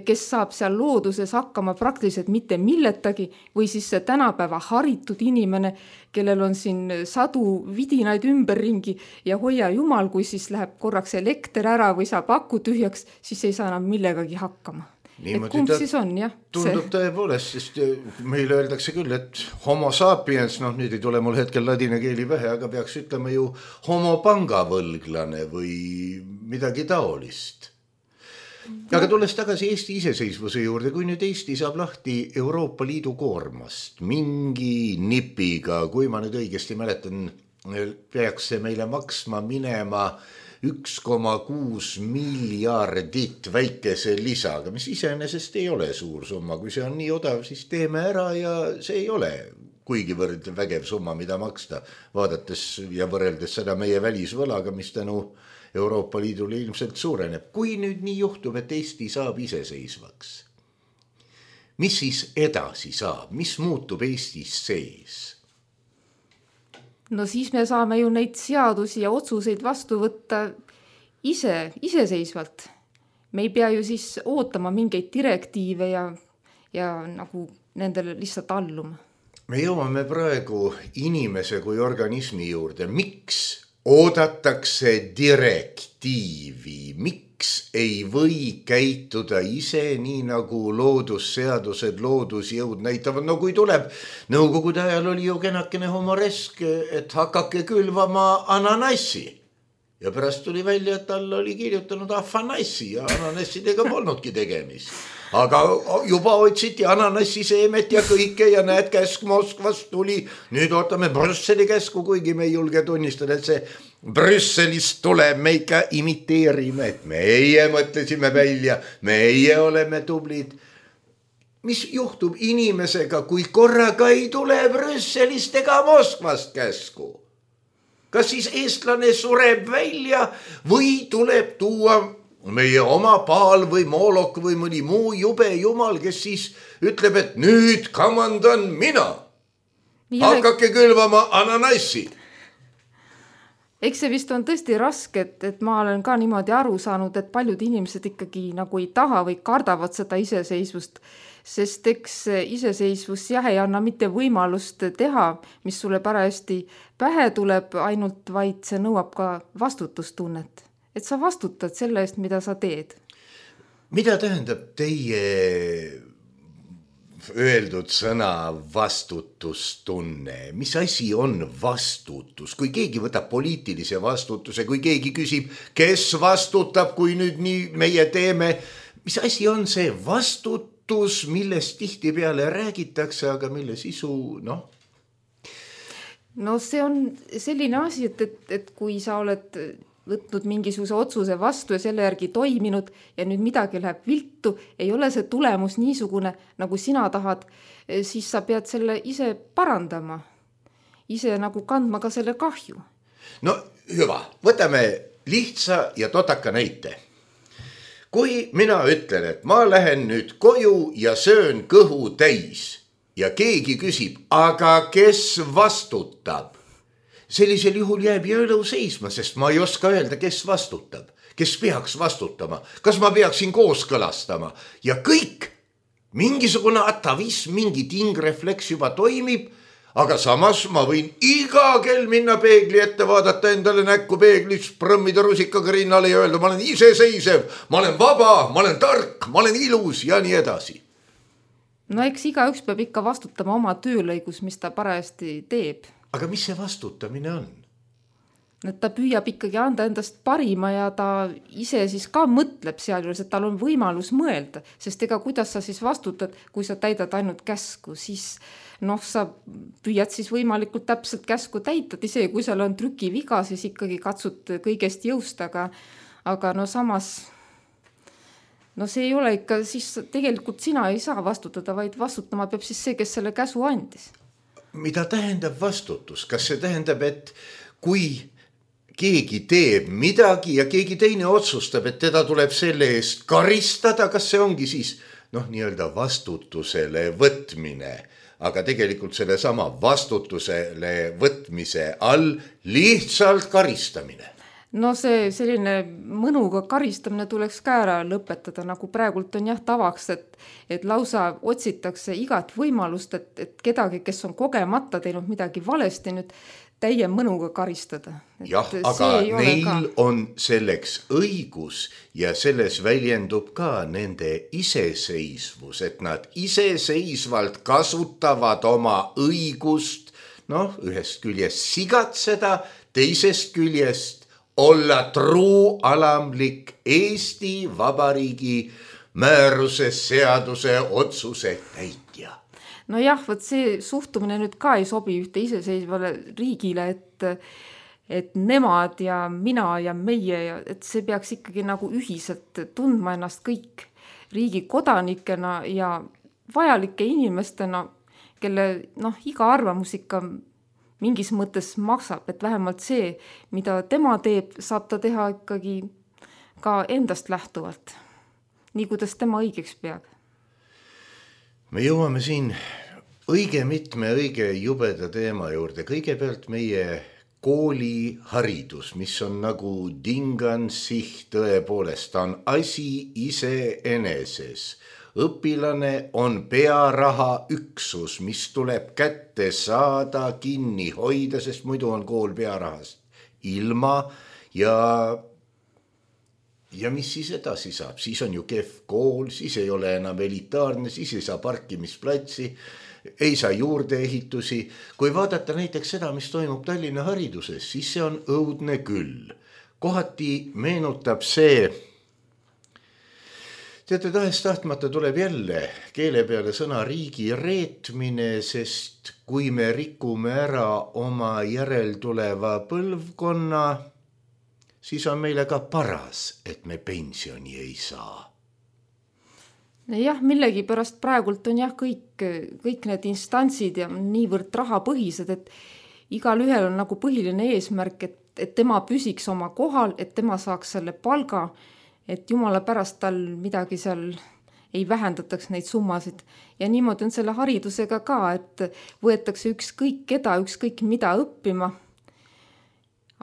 kes saab seal looduses hakkama praktiliselt mitte milletagi, või siis see tänapäeva haritud inimene, kellel on siin sadu vidinaid ümberringi ja hoia jumal, kui siis läheb korraks elekter ära või saab aku tühjaks, siis ei saa enam millegagi hakkama. Niimoodi et kumb siis on, jah? Tundub tõepoolest, sest meile öeldakse küll, et homo sapiens, noh nüüd ei tule mul hetkel ladina keeli pähe, aga peaks ütlema ju homo pangavõlglane või midagi taolist. Aga tulles tagasi Eesti iseseisvuse juurde, kui nüüd Eesti saab lahti Euroopa Liidu koormast mingi nipiga, kui ma nüüd õigesti mäletan, peaks see meile maksma minema üks koma kuus miljardit väikese lisaga, mis iseenesest ei ole suur summa. Kui see on nii odav, siis teeme ära ja see ei ole kuigivõrd vägev summa, mida maksta, vaadates ja võrreldes seda meie välisvõlaga, mis tänu Euroopa Liidule ilmselt suureneb. Kui nüüd nii juhtub, et Eesti saab iseseisvaks, mis siis edasi saab, mis muutub Eestis sees? No siis me saame ju neid seadusi ja otsuseid vastu võtta ise, iseseisvalt. Me ei pea ju siis ootama mingeid direktiive ja, ja nagu nendele lihtsalt alluma. Me jõuame praegu inimese kui organismi juurde. Miks oodatakse direktiivi? Miks ei või käituda ise nii nagu loodusseadused, loodusjõud näitavad? No kui tuleb, nõukogude ajal oli ju kenakene humoresk, et hakake külvama ananassi. Ja pärast tuli välja, et tal oli kirjutanud afanassi ja ananassidega polnudki tegemist. Aga juba otsiti ananassi seemet ja kõike ja näed, käsk Moskvast tuli. Nüüd ootame Brüsseli käsku, kuigi me ei julge tunnistada, et see Brüsselist tuleb, me ikka imiteerime, et meie mõtlesime välja, meie oleme tublid. Mis juhtub inimesega, kui korraga ei tule Brüsselist ega Moskvast käsku? Kas siis eestlane sureb välja või tuleb tuua meie oma Paal või Moolok või mõni muu jube jumal, kes siis ütleb, et nüüd kamandan mina. Hakake külvama ananassi. Eks see vist on tõesti raske, et, et ma olen ka niimoodi aru saanud, et paljud inimesed ikkagi nagu ei taha või kardavad seda iseseisvust, sest eks iseseisvus jah ei anna mitte võimalust teha, mis sulle parajasti pähe tuleb ainult, vaid see nõuab ka vastutustunnet. Et sa vastutad selle eest, mida sa teed. Mida tähendab teie öeldud sõna vastutustunne? Mis asi on vastutus? Kui keegi võtab poliitilise vastutuse, kui keegi küsib, kes vastutab, kui nüüd nii meie teeme, mis asi on see vastutus, millest tihti peale räägitakse, aga mille sisu, noh? No see on selline asi, et, et, et kui sa oled võtnud mingisuguse otsuse vastu ja selle järgi toiminud ja nüüd midagi läheb viltu, ei ole see tulemus niisugune, nagu sina tahad, siis sa pead selle ise parandama. Ise nagu kandma ka selle kahju. No hüva, võtame lihtsa ja totaka näite. Kui mina ütlen, et ma lähen nüüd koju ja söön kõhu täis ja keegi küsib, aga kes vastutab? Sellisel juhul jääb jõelu seisma, sest ma ei oska öelda, kes vastutab, kes peaks vastutama, kas ma peaksin kooskõlastama ja kõik, mingisugune atavism, mingi tingrefleks juba toimib, aga samas ma võin iga kell minna peegli ette, vaadata endale näkku peeglis, prõmmida rusikaga rinnale ja öelda, ma olen iseseisev, ma olen vaba, ma olen tark, ma olen ilus ja nii edasi. No eks iga üks peab ikka vastutama oma töölõigus, mis ta parajasti teeb. Aga mis see vastutamine on? Et ta püüab ikkagi anda endast parima ja ta ise siis ka mõtleb sealjuures, et tal on võimalus mõelda, sest ega kuidas sa siis vastutad, kui sa täidad ainult käsku, siis noh, sa püüad siis võimalikult täpselt käsku täita, ise kui seal on trükiviga, siis ikkagi katsud kõigest jõust, aga, aga no samas, no see ei ole ikka, siis tegelikult sina ei saa vastutada, vaid vastutama peab siis see, kes selle käsu andis. Mida tähendab vastutus? Kas see tähendab, et kui keegi teeb midagi ja keegi teine otsustab, et teda tuleb selle eest karistada, kas see ongi siis noh, nii-öelda vastutusele võtmine, aga tegelikult selle sama vastutusele võtmise all lihtsalt karistamine? No see selline mõnuga karistamine tuleks ka ära lõpetada, nagu praegult on jah tavaks, et, et lausa otsitakse igat võimalust, et, et kedagi, kes on kogemata teinud midagi valesti, nüüd täie mõnuga karistada. Et jah, aga neil ka on selleks õigus ja selles väljendub ka nende iseseisvus, et nad iseseisvalt kasutavad oma õigust, noh, ühest küljest sigatseda, teisest küljest olla truu alamlik Eesti Vabariigi määruse, seaduse, otsuse täitja. No jah, võt see suhtumine nüüd ka ei sobi ühte iseseisvale riigile, et, et nemad ja mina ja meie, ja, et see peaks ikkagi nagu ühiselt tundma ennast kõik riigi kodanikena ja vajalike inimestena, kelle noh, iga arvamus ikka mingis mõttes maksab, et vähemalt see, mida tema teeb, saab ta teha ikkagi ka endast lähtuvalt, nii kuidas tema õigeks peab. me jõuame siin õige mitme õige jubeda teema juurde. Kõigepealt meie kooliharidus, mis on nagu dingansiht tõepoolest, ta on asi iseeneses. Õpilane on pearaha üksus, mis tuleb kätte saada, kinni hoida, sest muidu on kool pearahast ilma ja Ja mis siis edasi saab? Siis on ju kehv kool, siis ei ole enam elitaarne, siis ei saa parkimisplatsi, ei saa juurdeehitusi. Kui vaadata näiteks seda, mis toimub Tallinna hariduses, siis see on õudne küll. Kohati meenutab see, teate, tahest tahtmata tuleb jälle keele peale sõna riigi reetmine, sest kui me rikume ära oma järeltuleva põlvkonna, siis on meile ka paras, et me pensioni ei saa. Jah, millegi pärast praegult on jah kõik, kõik need instantsid ja niivõrd rahapõhised, et igal ühel on nagu põhiline eesmärk, et, et tema püsiks oma kohal, et tema saaks selle palga, et jumala pärast tal midagi seal ei vähendataks neid summasid. Ja niimoodi on selle haridusega ka, et võetakse ükskõik keda, ükskõik mida õppima.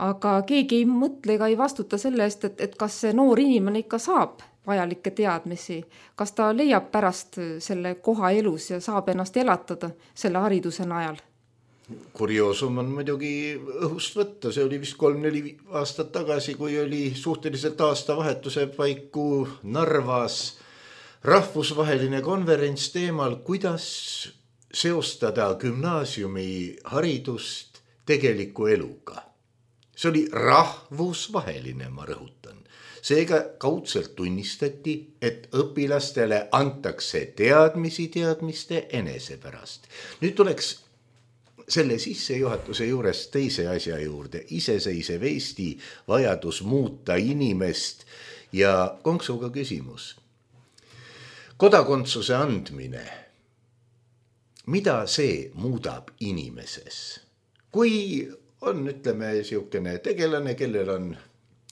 Aga keegi ei mõtle ega ei vastuta selle eest, et, et kas see noor inimene ikka saab vajalikke teadmisi, kas ta leiab pärast selle koha elus ja saab ennast elatada selle hariduse najal. Kurioosum on muidugi õhust võtta, see oli vist kolm-neli aastat tagasi, kui oli suhteliselt aastavahetuse paiku Narvas rahvusvaheline konverents teemal, kuidas seostada gümnaasiumi haridust tegeliku eluga. See oli rahvusvaheline, ma rõhutan. Seega kaudselt tunnistati, et õpilastele antakse teadmisi teadmiste enese pärast. Nüüd tuleks selle sissejuhatuse juures teise asja juurde. Iseseisev Eesti vajadus muuta inimest ja konksuga küsimus. Kodakondsuse andmine. Mida see muudab inimeses? Kui on, ütleme, siukene tegelane, kellel on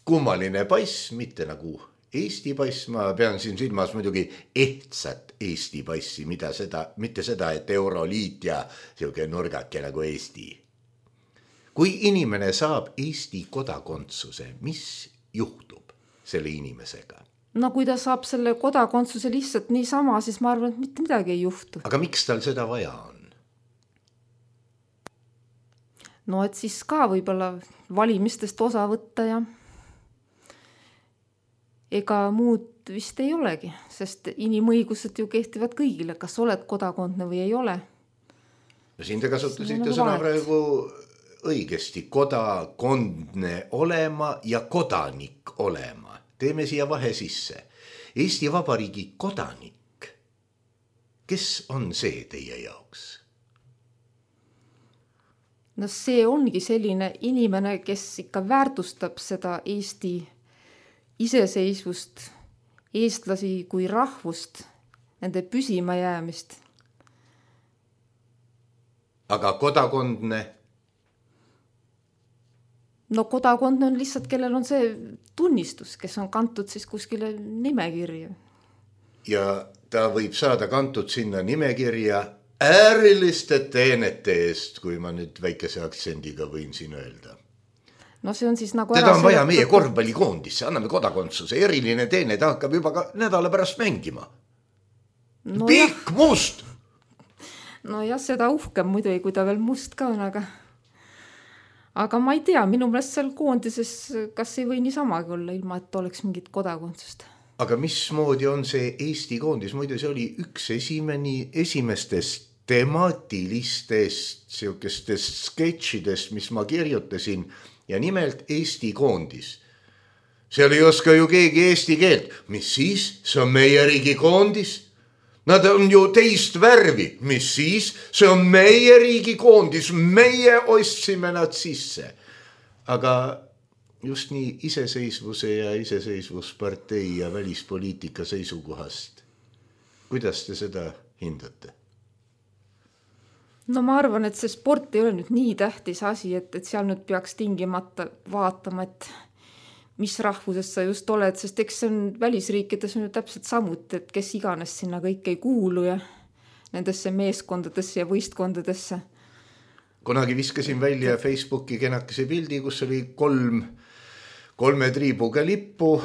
kummaline pass, mitte nagu Eesti pass, ma pean siin silmas muidugi ehtsat Eesti passi, mida seda, mitte seda, et Euroliit ja siuke nurgake nagu Eesti. Kui inimene saab Eesti kodakondsuse, mis juhtub selle inimesega? No kui ta saab selle kodakondsuse lihtsalt niisama, siis ma arvan, et mitte midagi ei juhtu. Aga miks tal seda vaja on? No et siis ka võib-olla valimistest osa võtta ja ega muud vist ei olegi, sest inimõigused ju kehtivad kõigile, kas oled kodakondne või ei ole. No siin te kasutasite sõna praegu õigesti, kodakondne olema ja kodanik olema. Teeme siia vahe sisse. Eesti Vabariigi kodanik, kes on see teie jaoks? No see ongi selline inimene, kes ikka väärtustab seda Eesti iseseisvust, eestlasi kui rahvust, nende püsima jäämist. Aga kodakondne? No kodakondne on lihtsalt, kellel on see tunnistus, kes on kantud siis kuskile nimekirja. Ja ta võib saada kantud sinna nimekirja ääriliste teenete eest, kui ma nüüd väikese aktsendiga võin siin öelda. No see on siis nagu teda on vaja meie korvpallikoondisse, anname kodakondsuse, eriline teene, ta hakkab juba ka nädala pärast mängima. No pikk, must! No jah, seda uhkem muidu ei, kui ta veel must ka on, aga aga ma ei tea, minu meelest seal koondises kas ei või niisamagi olla, ilma et oleks mingit kodakondsust. Aga mismoodi on see Eesti koondis? Muide, see oli üks esimeni, esimestest temaatilistest siukestest sketšidest, mis ma kirjutasin, ja nimelt Eesti koondis. Seal ei oska ju keegi eesti keelt. Mis siis? See on meie riigi koondis. Nad on ju teist värvi. Mis siis? See on meie riigi koondis. Meie ostsime nad sisse. Aga just nii iseseisvuse ja iseseisvuspartei ja välispoliitika seisukohast. Kuidas te seda hindate? No ma arvan, et see sport ei ole nüüd nii tähtis asi, et, et seal nüüd peaks tingimata vaatama, et mis rahvusest sa just oled, sest eks see on välisriikides on ju täpselt samuti, et kes iganes sinna kõik ei kuulu ja nendesse meeskondadesse ja võistkondadesse. Kunagi viskasin välja Facebooki kenakese pildi, kus oli kolm, kolme triibuga lippu.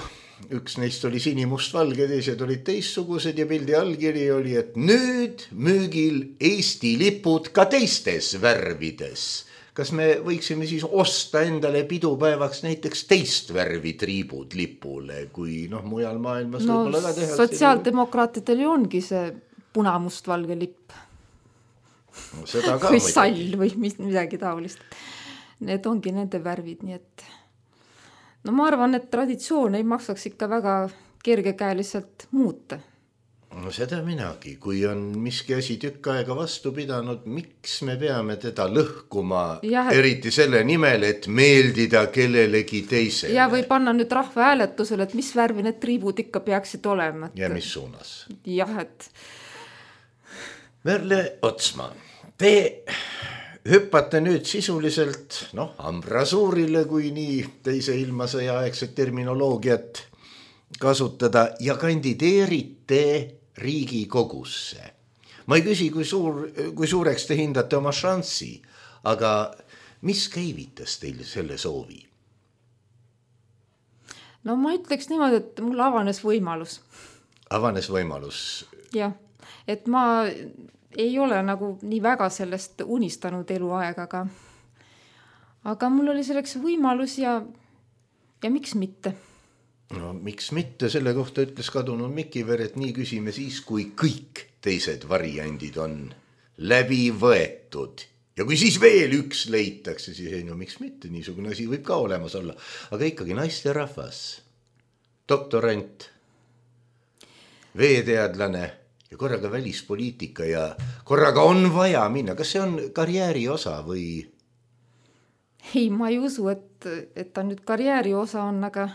Üks neist oli sinimustvalge, teised olid teistsugused ja pildi allkiri oli, et nüüd müügil Eesti lipud ka teistes värvides. Kas me võiksime siis osta endale pidupäevaks näiteks teist värvi triibud lipule, kui noh, mujal maailmas no, võib-olla ka teha? Sotsiaaldemokraatidel ju ongi see punamustvalge lipp. No, seda ka või sall või midagi taolist. Need ongi nende värvid, nii et no ma arvan, et traditsioon ei maksaks ikka väga kergekäeliselt muuta. No seda minagi, kui on miski asi tükk aega vastu pidanud, miks me peame teda lõhkuma, ja, et... eriti selle nimel, et meeldida kellelegi teisele. Ja või panna nüüd rahva hääletusele, et mis värvi need triibud ikka peaksid olema. Et... Ja mis suunas. Jah, et... Merle Otsman, te hüppate nüüd sisuliselt noh, ambrasuurile, kui nii teise ilmasõja aegset terminoloogiat kasutada ja kandideerite Riigikogusse. Ma ei küsi, kui, suur, kui suureks te hindate oma šanssi, aga mis käivitas teil selle soovi? No ma ütleks niimoodi, et mul avanes võimalus. Avanes võimalus? Jah, et ma ei ole nagu nii väga sellest unistanud eluaega, aga, aga mul oli selleks võimalus ja, ja miks mitte? No miks mitte, selle kohta ütles kadunud Mikiver, et nii küsime siis, kui kõik teised variandid on läbi võetud. Ja kui siis veel üks leitakse, siis ei, no miks mitte, niisugune asi võib ka olemas olla. Aga ikkagi naisterahvas, doktorant, veeteadlane ja korraga välispoliitika ja korraga on vaja minna. Kas see on karjääri osa või? Ei, ma ei usu, et, et ta nüüd karjääri osa on, aga...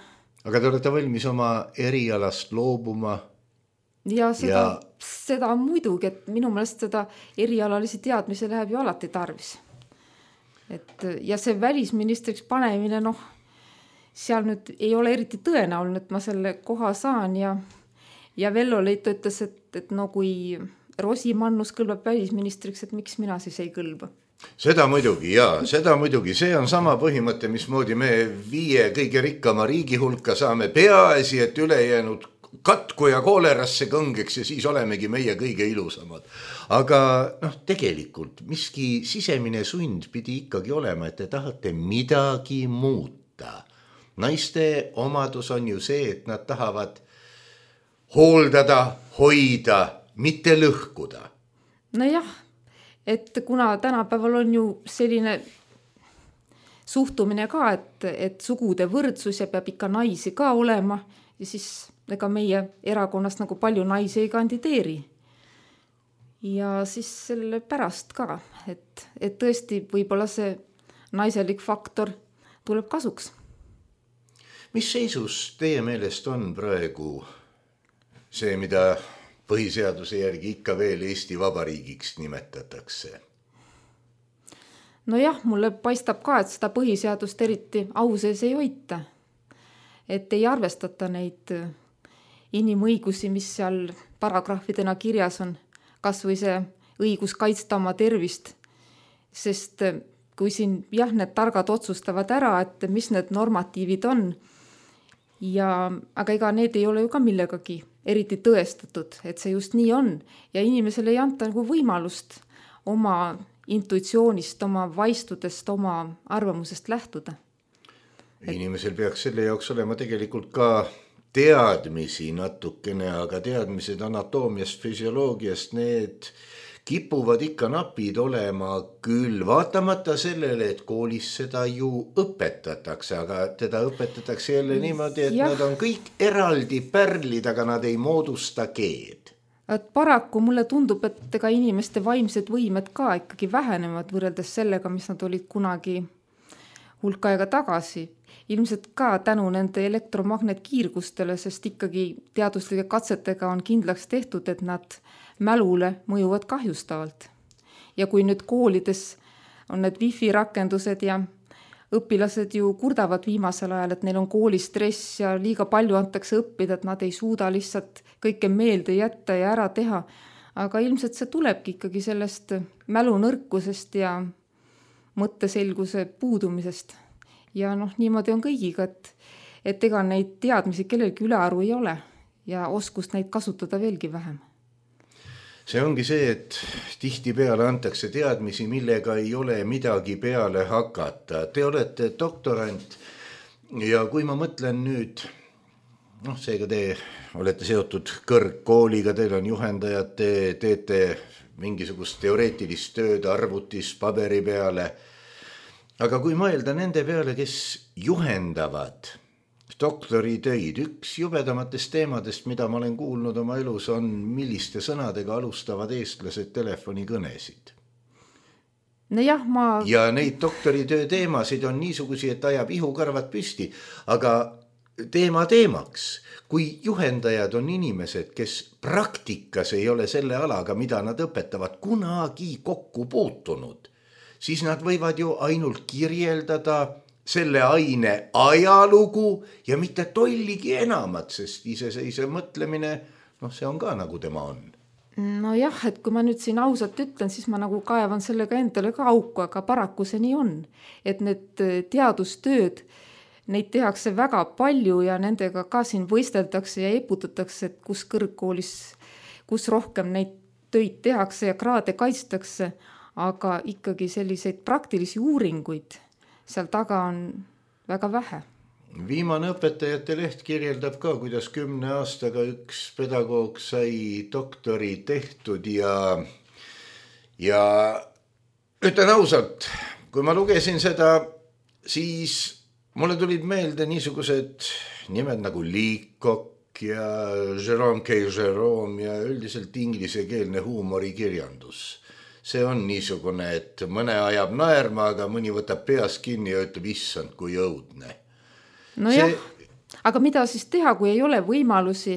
Aga te olete valmis oma erialast loobuma? Ja seda, ja... seda muidugi, et minu meelest seda erialalisi teadmise läheb ju alati tarvis. Et, ja see välisministriks panemine, noh, seal nüüd ei ole eriti tõenäoline, et ma selle koha saan ja, ja Vello Leito ütles, et, et no kui Rosimannus kõlbab välisministriks, et miks mina siis ei kõlba. Seda muidugi, jaa, seda muidugi. See on sama põhimõte, mismoodi me viie kõige rikkama riigi hulka saame peaasi, et ülejäänud katku ja koolerasse kõngeks ja siis olemegi meie kõige ilusamad. Aga noh, tegelikult miski sisemine sund pidi ikkagi olema, et te tahate midagi muuta. Naiste omadus on ju see, et nad tahavad hooldada, hoida, mitte lõhkuda. No jah. Et kuna tänapäeval on ju selline suhtumine ka, et, et sugude võrdsus ja peab ikka naisi ka olema ja siis ega meie erakonnast nagu palju naisi ei kandideeri. Ja siis selle pärast ka, et, et tõesti võib-olla see naiselik faktor tuleb kasuks. Mis seisus teie meelest on praegu see, mida... põhiseaduse järgi ikka veel Eesti Vabariigiks nimetatakse? No jah, mulle paistab ka, et seda põhiseadust eriti au sees ei hoita. Et ei arvestata neid inimõigusi, mis seal paragrahvidena kirjas on. Kas või see õigus kaitsta oma tervist. Sest kui siin jah, need targad otsustavad ära, et mis need normatiivid on, ja, aga ega need ei ole ju ka millegagi eriti tõestatud, et see just nii on. Ja inimesele ei anta nagu võimalust oma intuitsioonist, oma vaistudest, oma arvamusest lähtuda. Inimesel peaks selle jaoks olema tegelikult ka teadmisi natukene, aga teadmised anatoomiast, füsioloogiast, need kipuvad ikka napid olema küll, vaatamata sellele, et koolis seda ju õpetatakse, aga teda õpetatakse jälle niimoodi, et ja. Nad on kõik eraldi pärlid, aga nad ei moodusta keed. Et paraku mulle tundub, et ega inimeste vaimsed võimed ka ikkagi vähenevad võrreldes sellega, mis nad olid kunagi hulka aega tagasi. Ilmselt ka tänu nende elektromagnetkiirgustele, sest ikkagi teaduslike katsetega on kindlaks tehtud, et nad mälule mõjuvad kahjustavalt. Ja kui nüüd koolides on need wifi rakendused ja õpilased ju kurdavad viimasel ajal, et neil on koolistress ja liiga palju antakse õppida, et nad ei suuda lihtsalt kõike meelde jätta ja ära teha. aga ilmselt see tulebki ikkagi sellest mälunõrkusest ja mõtteselguse puudumisest. Ja noh, niimoodi on kõigiga, et, et ega neid teadmisi kellelgi ülearu ei ole ja oskust neid kasutada veelgi vähem. See ongi see, et tihti peale antakse teadmisi, millega ei ole midagi peale hakata. Te olete doktorant ja kui ma mõtlen nüüd, noh, seega te olete seotud kõrgkooliga, teil on juhendajad, te teete mingisugust teoreetilist tööd arvutis paberi peale. Aga kui mõelda nende peale, kes juhendavad doktoritöid, üks jubedamatest teemadest, mida ma olen kuulnud oma elus, on milliste sõnadega alustavad eestlased telefonikõnesid. No jah, ma... Ja neid doktoritöö teemasid on niisugusi, et ajab ihukarvad püsti, aga teema teemaks, kui juhendajad on inimesed, kes praktikas ei ole selle alaga, mida nad õpetavad, kunagi kokku puutunud, siis nad võivad ju ainult kirjeldada selle aine ajalugu ja mitte tolligi enamat, sest iseseisev mõtlemine, noh, see on ka nagu tema on. No jah, et kui ma nüüd siin ausalt ütlen, siis ma nagu kaevan sellega endale ka auku, aga paraku see nii on. Et need teadustööd, neid tehakse väga palju ja nendega ka siin võisteldakse ja eputatakse, et kus kõrgkoolis, kus rohkem neid töid tehakse ja kraade kaitstakse, aga ikkagi selliseid praktilisi uuringuid seal taga on väga vähe. Viimane õpetajate leht kirjeldab ka, kuidas kümne aastaga üks pedagoog sai doktori tehtud ja, ja ütlen ausalt, kui ma lugesin seda, siis mulle tulid meelde niisugused nimed nagu Leacock ja Jerome K. Jerome ja üldiselt inglisekeelne huumorikirjandus. See on niisugune, et mõne ajab naerma, aga mõni võtab peas kinni ja ütleb, issand, kui õudne. No see... jah, aga mida siis teha, kui ei ole võimalusi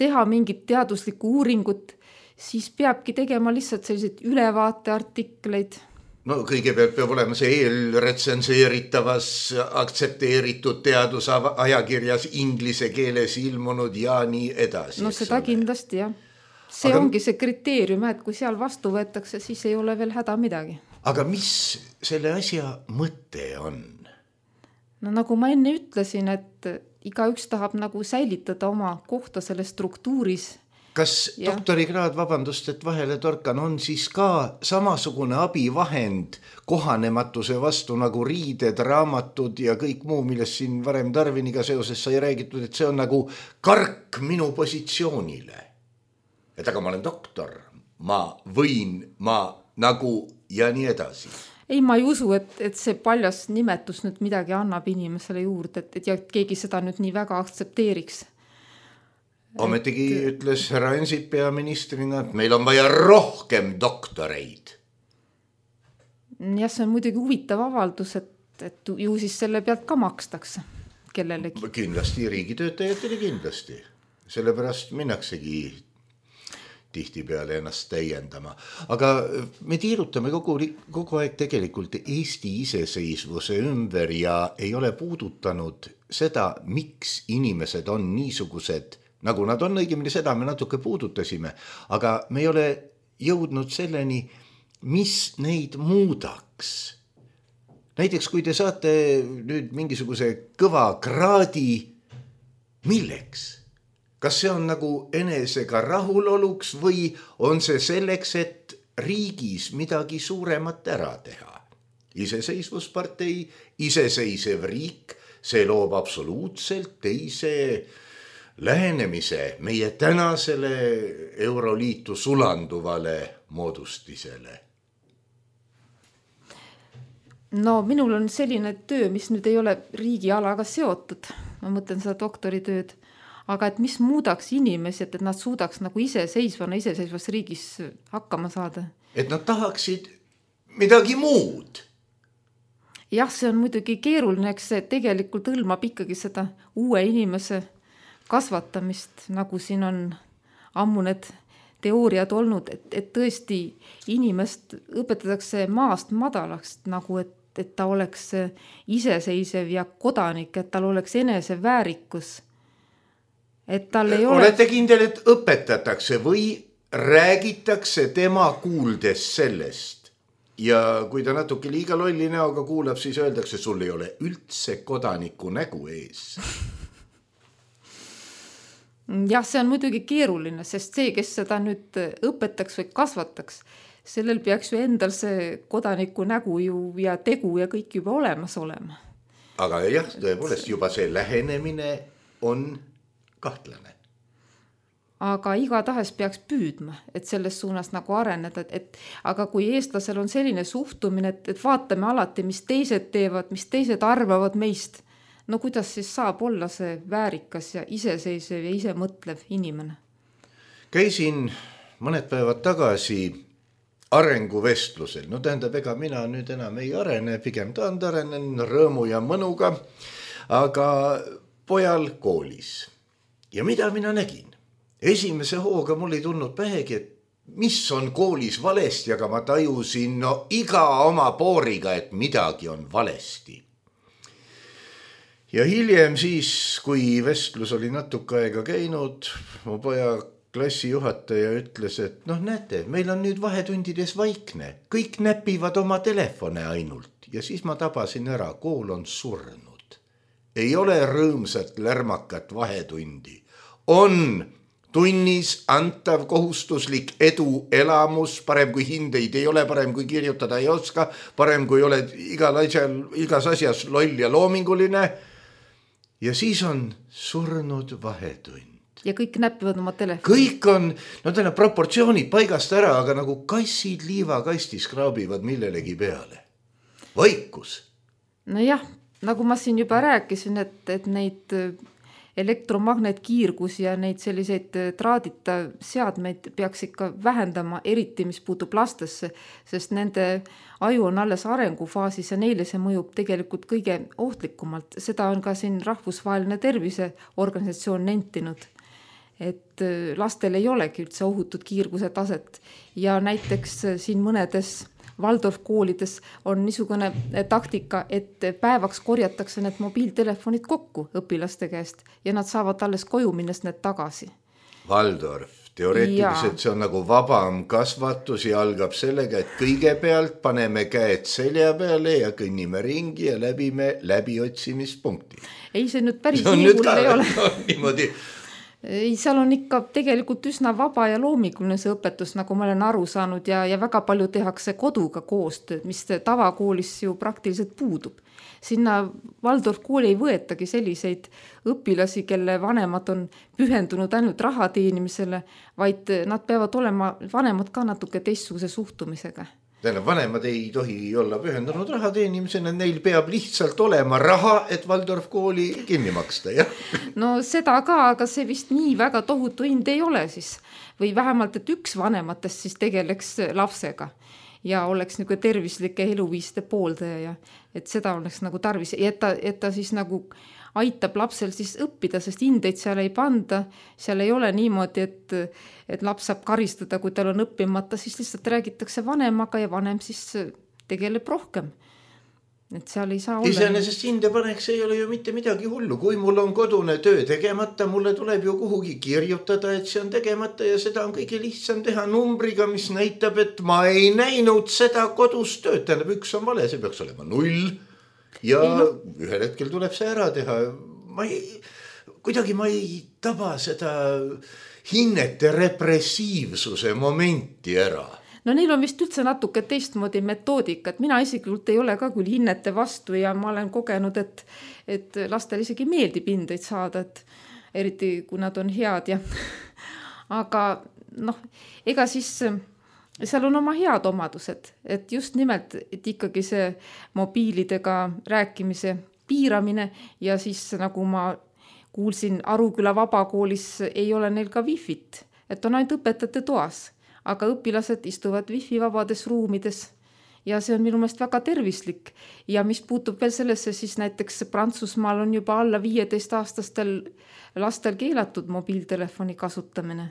teha mingit teaduslikku uuringut, siis peabki tegema lihtsalt selliseid ülevaateartikleid. No kõigepealt peab olema see eelretsenseeritavas aktsepteeritud teadusajakirjas inglise keeles ilmunud ja nii edasi. No seda kindlasti, jah. See aga, ongi see kriteerium, et kui seal vastu võetakse, siis ei ole veel häda midagi. Aga mis selle asja mõte on? No nagu ma enne ütlesin, et iga üks tahab nagu säilitada oma kohta selle struktuuris. Kas ja. doktorikraad, vabandust, et vahele torkan, on siis ka samasugune abivahend kohanematuse vastu nagu riided, raamatud ja kõik muu, millest siin varem Darwiniga seoses sai räägitud, et see on nagu kark minu positsioonile. Et aga ma olen doktor, ma võin, ma nagu ja nii edasi. Ei, ma ei usu, et, et see paljas nimetus nüüd midagi annab inimesele juurde, et, et ja keegi seda nüüd nii väga aktsepteeriks. Ometigi et... ütles härra Ansip peaministrina, et meil on vaja rohkem doktoreid. Ja see on muidugi huvitav avaldus, et, et ju siis selle pealt ka makstakse kellelegi. Kindlasti riigitöötajatele kindlasti. Sellepärast minnaksegi tihti peale ennast täiendama. Aga me tiirutame kogu, kogu aeg tegelikult Eesti iseseisvuse ümber ja ei ole puudutanud seda, miks inimesed on niisugused, nagu nad on, õigemini seda me natuke puudutasime, aga me ei ole jõudnud selleni, mis neid muudaks. Näiteks kui te saate nüüd mingisuguse kõva kraadi, milleks? Kas see on nagu enesega rahuloluks või on see selleks, et riigis midagi suuremat ära teha? Iseseisvuspartei, iseseisev riik, see loob absoluutselt teise lähenemise meie tänasele Euroliitu sulanduvale moodustisele. No minul on selline töö, mis nüüd ei ole riigialaga seotud. Ma mõtlen seda doktoritööd. Aga et mis muudaks inimesi, et nad suudaks nagu iseseisvana, iseseisvas riigis hakkama saada? Et nad tahaksid midagi muud. Jah, see on muidugi keeruline, eks see tegelikult hõlmab ikkagi seda uue inimese kasvatamist, nagu siin on ammu need teooriad olnud, et, et tõesti inimest õpetatakse maast madalaks, nagu et, et ta oleks iseseisev ja kodanik, et tal oleks enese väärikus. Et tal ei ole... Olete kindel, et õpetatakse või räägitakse tema kuuldes sellest ja kui ta natuke liiga lolli näoga kuulab, siis öeldakse, sul ei ole üldse kodaniku nägu ees. jah, see on muidugi keeruline, sest see, kes seda nüüd õpetaks või kasvataks, sellel peaks ju endal see kodaniku nägu ju ja tegu ja kõik juba olemas olema. Aga jah, tõepoolest juba see lähenemine on kahtlane. Aga igatahes peaks püüdma, et selles suunas nagu areneda, et, et aga kui eestlasel on selline suhtumine, et, et vaatame alati, mis teised teevad, mis teised arvavad meist, no kuidas siis saab olla see väärikas ja iseseisev ja ise mõtlev inimene? Käisin mõned päevad tagasi arenguvestlusel, no tähendab, ega mina nüüd enam ei arene, pigem taand arenen rõõmu ja mõnuga, aga pojal koolis. Ja mida mina nägin? Esimese hooga mul ei tulnud pähegi, et mis on koolis valesti, aga ma tajusin no iga oma pooriga, et midagi on valesti. Ja hiljem siis, kui vestlus oli natuke aega käinud, mu poja klassijuhataja ütles, et noh näete, meil on nüüd vahetundides vaikne, kõik näpivad oma telefone ainult ja siis ma tabasin ära, kool on surnud. Ei ole rõõmsat lärmakat vahetundi, on tunnis antav kohustuslik edu elamus, parem kui hindeid ei ole, parem kui kirjutada ei oska, parem kui oled igal asjal, igas asjas loll ja loominguline. Ja siis on surnud vahetund. Ja kõik näpivad oma telefoni. Kõik on, no täna proportsioonid paigast ära, aga nagu kassid liivakastis kraabivad millelegi peale. Vaikus. No jah, nagu ma siin juba rääkisin, et, et neid elektromagnetkiirgus ja neid selliseid traadita seadmeid peaks ikka vähendama, eriti mis puutub lastesse, sest nende aju on alles arengufaasis ja neile see mõjub tegelikult kõige ohtlikumalt. Seda on ka siin rahvusvaheline terviseorganisatsioon nentinud, et lastel ei olegi üldse ohutud kiirguse taset ja näiteks siin mõnedes Waldorf koolides on niisugune taktika, et päevaks korjatakse need mobiiltelefonid kokku õpilaste käest ja nad saavad alles koju minnes need tagasi. Waldorf, teoreetiliselt ja. See on nagu vabam kasvatus ja algab sellega, et kõigepealt paneme käed selja peale ja kõnnime ringi ja läbime läbiotsimist-punkti. Ei, see nüüd päris nii hull ei ole. No, niimoodi. Ei, seal on ikka tegelikult üsna vaba ja loominguline see õpetus, nagu ma olen aru saanud ja, ja väga palju tehakse koduga koostööd, mis tavakoolis ju praktiliselt puudub. Sinna Waldorf kooli ei võetagi selliseid õpilasi, kelle vanemad on pühendunud ainult raha teenimisele, vaid nad peavad olema vanemad ka natuke teistsuguse suhtumisega. Tähendab, vanemad ei tohi olla pühendunud raha teenimisena, neil peab lihtsalt olema raha, et Waldorf kooli kinni maksta, jah? No seda ka, aga see vist nii väga tohutu hind ei ole siis. Või vähemalt, et üks vanematest siis tegeleks lapsega ja oleks nagu tervislike eluviiste pooldaja ja et seda oleks nagu tarvis, et ta, et ta siis nagu aitab lapsel siis õppida, sest hindeid seal ei panda, seal ei ole niimoodi, et, et laps saab karistada, kui tal on õppimata, siis lihtsalt räägitakse vanemaga ja vanem siis tegeleb rohkem. Et seal ei saa olla. Iseenesest hinde paneks ei ole ju mitte midagi hullu, kui mul on kodune töö tegemata, mulle tuleb ju kuhugi kirjutada, et see on tegemata ja seda on kõige lihtsam teha numbriga, mis näitab, et ma ei näinud seda kodus tööd, tähendab üks on vale, see peaks olema null. Ja ei, no. Ühel hetkel tuleb see ära teha. Ma ei, kuidagi ma ei taba seda hinnete repressiivsuse momenti ära. No neil on vist üldse natuke teistmoodi metoodika, et mina isiklikult ei ole ka küll hinnete vastu ja ma olen kogenud, et, et lastel isegi meeldib hindeid saada, et eriti kui nad on head ja aga noh, ega siis seal on oma head omadused, et just nimelt, et ikkagi see mobiilidega rääkimise piiramine ja siis nagu ma kuulsin Aruküla vabakoolis ei ole neil ka wifit, et on ainult õpetajate toas, aga õpilased istuvad wifi vabades ruumides ja see on minu meelest väga tervislik ja mis puutub veel sellesse, siis näiteks Prantsusmaal on juba alla viieteist aastastel lastel keelatud mobiiltelefoni kasutamine.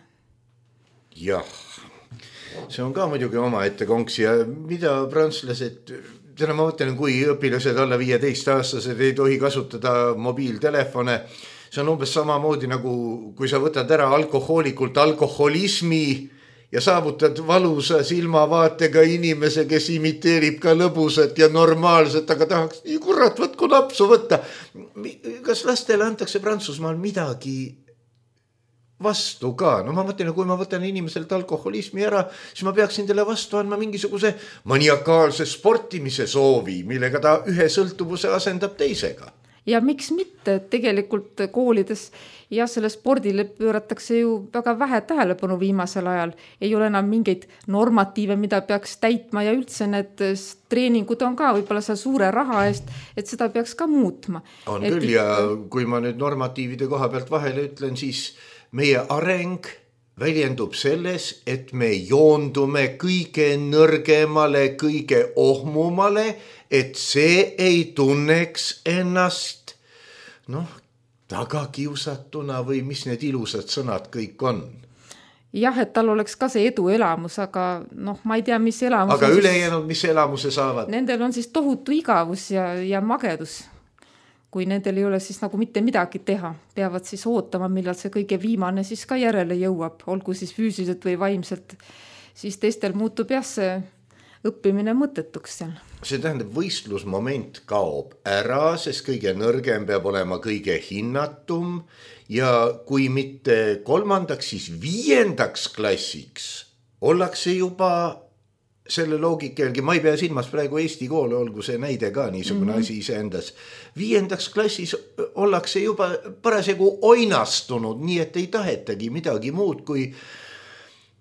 Jah. See on ka muidugi oma ette konks ja mida prantslased, täna ma mõtlen, kui õpilased alla viieteist aastased ei tohi kasutada mobiiltelefone, see on umbes samamoodi nagu kui sa võtad ära alkohoolikult alkoholismi ja saavutad valusa silmavaatega inimese, kes imiteerib ka lõbusat ja normaalset, aga tahaks nii kurat, võtku napsu võtta. Kas lastele antakse Prantsusmaal midagi vastu ka? No ma mõtlen, kui ma võtan inimeselt alkoholismi ära, siis ma peaksin teile vastu andma mingisuguse maniakaalse sportimise soovi, millega ta ühe sõltuvuse asendab teisega. Ja miks mitte, et tegelikult koolides ja selle spordile pööratakse ju väga vähe tähelepanu viimasel ajal. Ei ole enam mingeid normatiive, mida peaks täitma ja üldse need treeningud on ka võib-olla seal suure raha eest, et seda peaks ka muutma. On et küll ja kui ma nüüd normatiivide koha pealt vahele ütlen, siis meie areng väljendub selles, et me joondume kõige nõrgemale, kõige ohmumale, et see ei tunneks ennast noh, tagakiusatuna või mis need ilusad sõnad kõik on. Jah, et tal oleks ka see edu elamus, aga noh, ma ei tea, mis elamus. Aga ülejäänud, mis elamuse saavad? Nendel on siis tohutu igavus ja, ja magedus. Kui nendel ei ole siis nagu mitte midagi teha, peavad siis ootama, millal see kõige viimane siis ka järele jõuab, olgu siis füüsiliselt või vaimselt, siis teistel muutub jah see õppimine mõttetuks seal. See tähendab, võistlusmoment kaob ära, sest kõige nõrgem peab olema kõige hinnatum ja kui mitte kolmandaks, siis viiendaks klassiks ollakse juba selle loogika jälgi, ma ei pea silmas praegu Eesti koole, olgu see näide ka niisugune mm-hmm. asi iseendas. Viiendaks klassis ollakse juba parasjagu oinastunud, nii et ei tahetagi midagi muud kui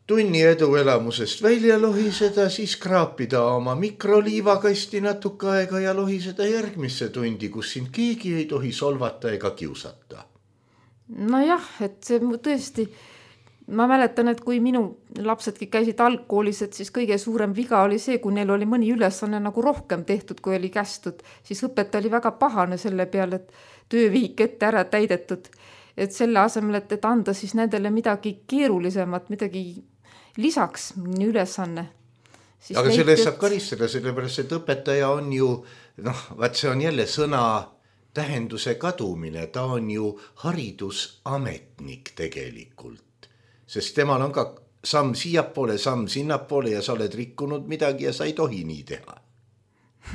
tunni edu elamusest välja lohiseda, siis kraapida oma mikroliivakasti natuke aega ja lohiseda järgmisse tundi, kus sind keegi ei tohi solvata ega kiusata. No jah, et see tõesti... Ma mäletan, et kui minu lapsedki käisid algkoolis, et siis kõige suurem viga oli see, kui neil oli mõni ülesanne nagu rohkem tehtud, kui oli kästud, siis õpetaja oli väga pahane selle peale, et töövihik ette ära täidetud. Et selle asemel, et, et anda siis nendele midagi keerulisemat, midagi lisaks ülesanne. Siis aga sellest saab karistada, sellepärast, et õpetaja on ju, noh, vaat see on jälle sõna tähenduse kadumine, ta on ju haridusametnik tegelikult. Sest temal on ka samm siiapoole, samm sinnapoole ja sa oled rikkunud midagi ja sa ei tohi nii teha.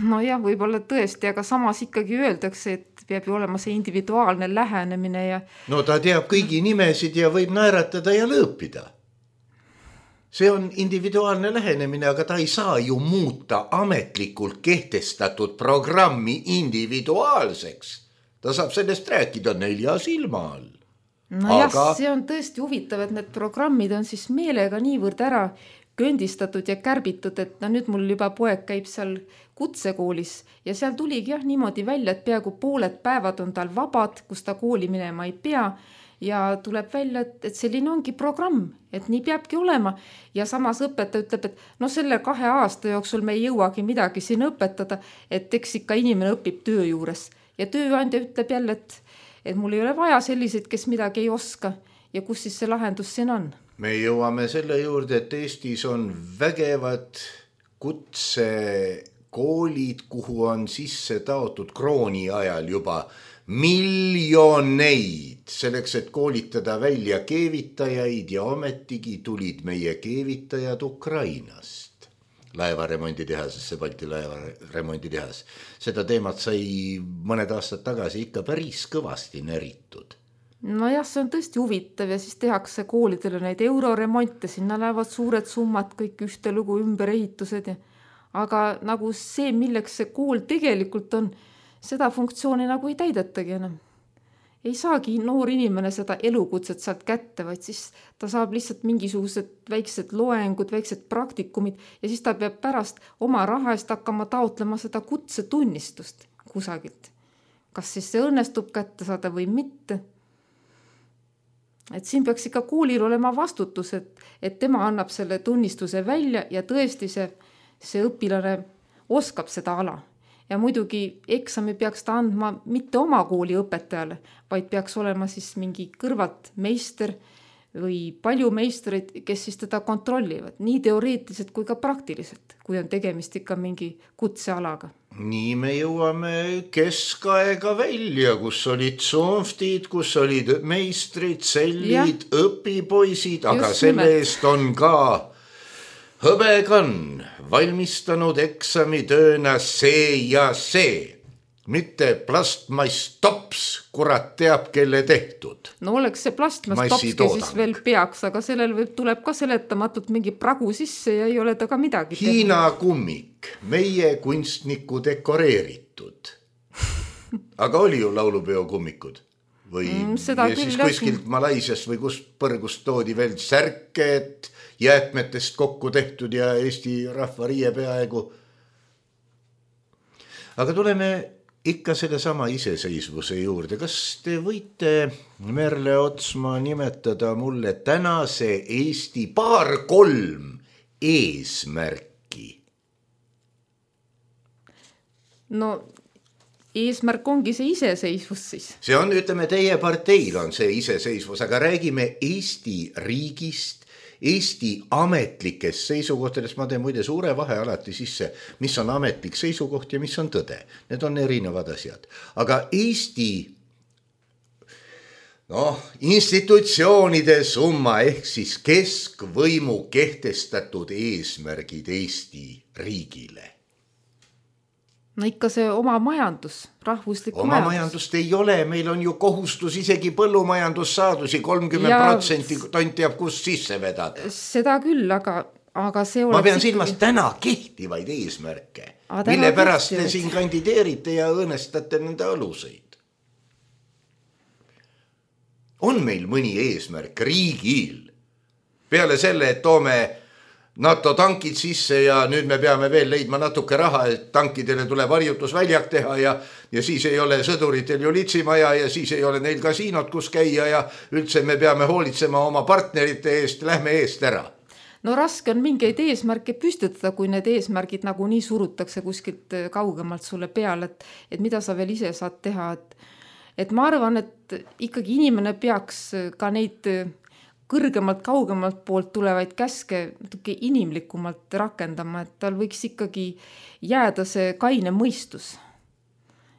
No jah, võib-olla tõesti, aga samas ikkagi öeldakse, et peab ju olema see individuaalne lähenemine ja... No ta teab kõigi nimesid ja võib naeratada ja lõõpida. See on individuaalne lähenemine, aga ta ei saa ju muuta ametlikult kehtestatud programmi individuaalseks. Ta saab sellest rääkida nelja silma all. No aga... jah, see on tõesti huvitav, et need programmid on siis meelega niivõrd ära kõndistatud ja kärbitud, et no nüüd mul juba poeg käib seal kutsekoolis ja seal tuligi jah niimoodi välja, et peaaegu pooled päevad on tal vabad, kus ta kooli minema ei pea ja tuleb välja, et, et selline ongi programm, et nii peabki olema ja samas õpetaja ütleb, et no selle kahe aasta jooksul me ei jõuagi midagi siin õpetada, et eks ikka inimene õpib töö juures ja tööandja ütleb jälle, et et mul ei ole vaja selliseid, kes midagi ei oska ja kus siis see lahendus siin on. Me jõuame selle juurde, et Eestis on vägevad kutsekoolid, kuhu on sisse taotud krooni ajal juba miljoneid selleks, et koolitada välja keevitajaid ja ometigi tulid meie keevitajad Ukrainast. Laevaremonditehasesse, Balti laevaremonditehas. Seda teemat sai mõned aastad tagasi ikka päris kõvasti näritud. No jah, see on tõesti huvitav ja siis tehakse koolidele neid euroremonte, sinna lähevad suured summad, kõik ühte lugu ümberehitused. Ja... aga nagu see, milleks see kool tegelikult on, seda funktsiooni nagu ei täidetagi enam. Ei saagi noor inimene seda elukutset sealt kätte, vaid siis ta saab lihtsalt mingisugused väiksed loengud, väiksed praktikumid ja siis ta peab pärast oma raha eest hakkama taotlema seda kutsetunnistust kusagilt. Kas siis see õnnestub kätte saada või mitte? Et siin peaks ikka koolil olema vastutus, et, et tema annab selle tunnistuse välja ja tõesti see, see õpilane oskab seda ala. Ja muidugi eksami peaks ta andma mitte oma kooli õpetajale, vaid peaks olema siis mingi kõrvalt meister või palju meistreid, kes siis teda kontrollivad, nii teoreetiliselt kui ka praktiliselt, kui on tegemist ikka mingi kutsealaga. nii me jõuame keskaega välja, kus olid soonftid, kus olid meistrid, sellid, ja. õpipoisid, aga Just selle nimelt. Eest on ka hõbekann valmistanud eksamitööna see ja see. Mitte plastmass tops, kurat teab, kelle tehtud. No oleks see plastmass topski, siis veel peaks, aga sellel võib, tuleb ka seletamatult mingi pragu sisse ja ei ole ta ka midagi tehtud. Hiina kummik, meie kunstniku dekoreeritud. Aga oli ju laulupeo kummikud? Või mm, ja siis kuskilt Malaisiast või kust põrgust toodi veel särked, jäätmetest kokku tehtud ja Eesti rahva riie peaaegu. Aga tuleme ikka selle sama iseseisvuse juurde. Kas te võite, Merle Otsma, nimetada mulle tänase Eesti paar kolm eesmärki? No eesmärk ongi see iseseisvus siis. See on, ütleme, teie parteil on see iseseisvus, aga räägime Eesti riigist, Eesti ametlikest seisukohtadest. Ma teen muide suure vahe alati sisse, mis on ametlik seisukoht ja mis on tõde. Need on erinevad asjad. Aga Eesti no, institutsioonide summa ehk siis keskvõimu kehtestatud eesmärgid Eesti riigile. No ikka see oma majandus, rahvuslik oma majandus. majandust ei ole, meil on ju kohustus isegi põllumajandussaadusi kolmkümmend protsenti tont jääb kust sisse vedada. Seda küll, aga, aga see Ma pean silmas ikkagi... täna kehtivaid eesmärke, mille pärast te siin kandideerite ja õõnestate nende aluseid. On meil mõni eesmärk riigil? Peale selle, et toome NATO tankid sisse ja nüüd me peame veel leidma natuke raha, et tankidele tuleb harjutusväljak teha ja, ja siis ei ole sõduritel ju litsimaja ja siis ei ole neil kasiinot, kus käia ja üldse me peame hoolitsema oma partnerite eest, lähme eest ära. No raske on mingeid eesmärke püstitada, kui need eesmärgid nagu nii surutakse kuskilt kaugemalt sulle peale, et, et mida sa veel ise saad teha. Et, et ma arvan, et ikkagi inimene peaks ka neid kõrgemalt, kaugemalt poolt tulevaid käske natuke inimlikumalt rakendama, et tal võiks ikkagi jääda see kaine mõistus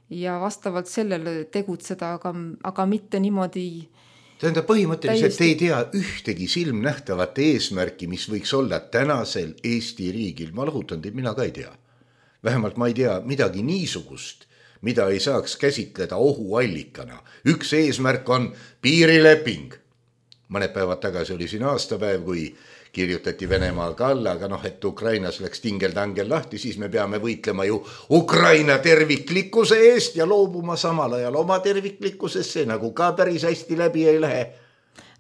ja vastavalt sellele tegutseda, aga, aga mitte niimoodi. Tähendab, põhimõtteliselt täiesti... ei tea ühtegi silmnähtavat eesmärki, mis võiks olla tänasel Eesti riigil. Ma lahutan teid, mina ka ei tea. Vähemalt ma ei tea midagi niisugust, mida ei saaks käsitleda ohuallikana. Üks eesmärk on piirileping. Mõned päevad tagasi oli siin aastapäev, kui kirjutati Venemaal ka alla, aga noh, et Ukrainas läks tingeldangel lahti, siis me peame võitlema ju Ukraina terviklikkuse eest ja loobuma samal ajal oma terviklikkusesse, nagu ka päris hästi läbi ei lähe.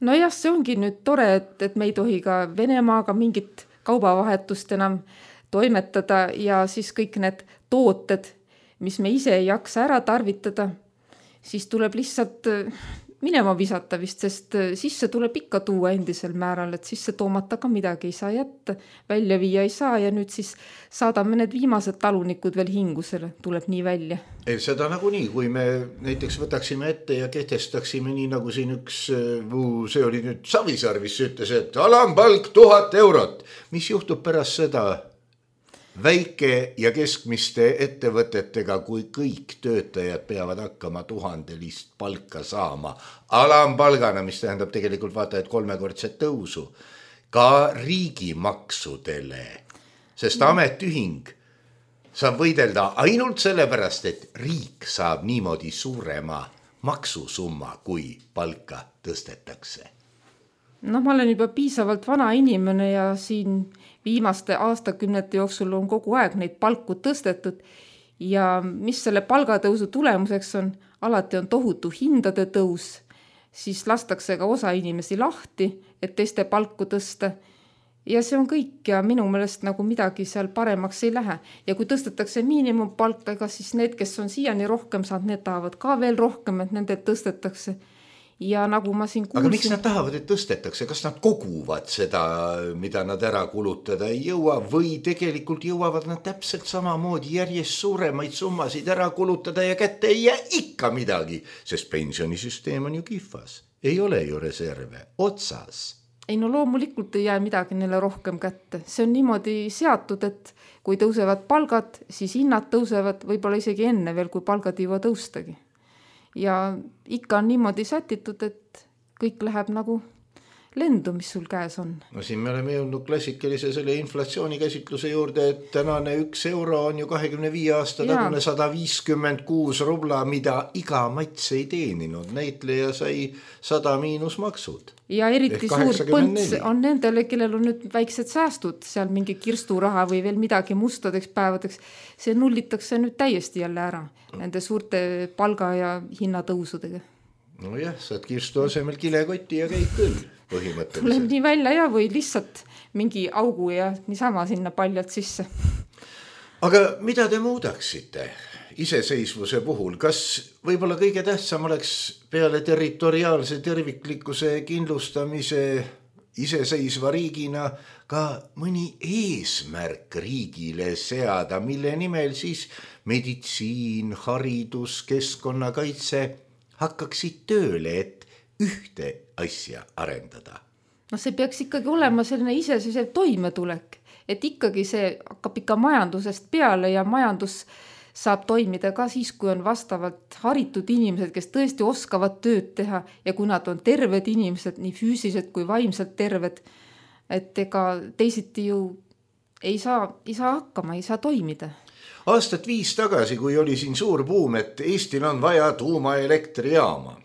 No jah, see ongi nüüd tore, et, et me ei tohi ka Venemaaga mingit kaubavahetust enam toimetada ja siis kõik need tooted, mis me ise ei jaksa ära tarvitada, siis tuleb lihtsalt minema visata vist, sest sisse tuleb ikka tuua endisel määral, et sisse toomata ka midagi ei saa jätta, välja viia ei saa ja nüüd siis saadame need viimased talunikud veel hingusele, tuleb nii välja. Ei, seda nagu nii, kui me näiteks võtaksime ette ja kehtestaksime nii nagu siin üks, see oli nüüd Savisaar, mis ütles, et alampalk tuhat eurot. Mis juhtub pärast seda väike ja keskmiste ettevõtetega, kui kõik töötajad peavad hakkama tuhandelist palka saama alampalgana, mis tähendab tegelikult vaata, et kolmekordset tõusu ka riigimaksudele, sest ametühing saab võidelda ainult sellepärast, et riik saab niimoodi suurema maksusumma, kui palka tõstetakse. No ma olen juba piisavalt vana inimene ja siin viimaste aastakümnete jooksul on kogu aeg neid palku tõstetud ja mis selle palgatõusu tulemuseks on, alati on tohutu hindade tõus, siis lastakse ka osa inimesi lahti, et teiste palku tõsta ja see on kõik ja minu meelest nagu midagi seal paremaks ei lähe ja kui tõstetakse miinimumpalka, siis need, kes on siiani rohkem saanud, need tahavad ka veel rohkem, et nende tõstetakse. Ja nagu ma siin kuulsin... Aga miks nad tahavad, et tõstetakse? Kas nad koguvad seda, mida nad ära kulutada ei jõua või tegelikult jõuavad nad täpselt samamoodi järjest suuremaid summasid ära kulutada ja kätte ei jää ikka midagi, sest pensionisüsteem on ju kihvas. Ei ole ju reserve otsas. ei no loomulikult ei jää midagi neile rohkem kätte. See on niimoodi seatud, et kui tõusevad palgad, siis hinnad tõusevad võib-olla isegi enne veel, kui palgad ei jõua tõustagi. Ja ikka on niimoodi sätitud, et kõik läheb nagu lendu, mis sul käes on. No siin me oleme jõudnud klassikalise selle inflatsiooni käsitluse juurde, et tänane üks euro on ju kahekümne viie aasta tagune sada viiskümmend kuus rubla, mida iga mats ei teeninud. Näitleja sai sada miinusmaksud. Ja eriti suur põnts on nendele, kellel on nüüd väiksed säästud, seal mingi kirsturaha või veel midagi mustadeks päevadeks. See nullitakse nüüd täiesti jälle ära nende suurte palga ja hinnatõusudega. No jah, saad kirstu asemel kilekoti ja käid küll põhimõtteliselt. Tuleb nii välja ja või lihtsalt mingi augu ja niisama sinna paljalt sisse. Aga mida te muudaksite iseseisvuse puhul? Kas võib-olla kõige tähtsam oleks peale territoriaalse terviklikkuse kindlustamise iseseisva riigina ka mõni eesmärk riigile seada, mille nimel siis meditsiin, haridus, keskkonnakaitse hakkaksid tööle, et ühte asja arendada? No see peaks ikkagi olema selline iseseisev toimetulek, et ikkagi see hakkab ikka majandusest peale ja majandus saab toimida ka siis, kui on vastavalt haritud inimesed, kes tõesti oskavad tööd teha ja kui nad on terved inimesed, nii füüsiliselt kui vaimselt terved, et ega teisiti ju ei saa, ei saa hakkama, ei saa toimida. Aastat viis tagasi, kui oli siin suur buum, et Eestil on vaja tuumaelektrijaama,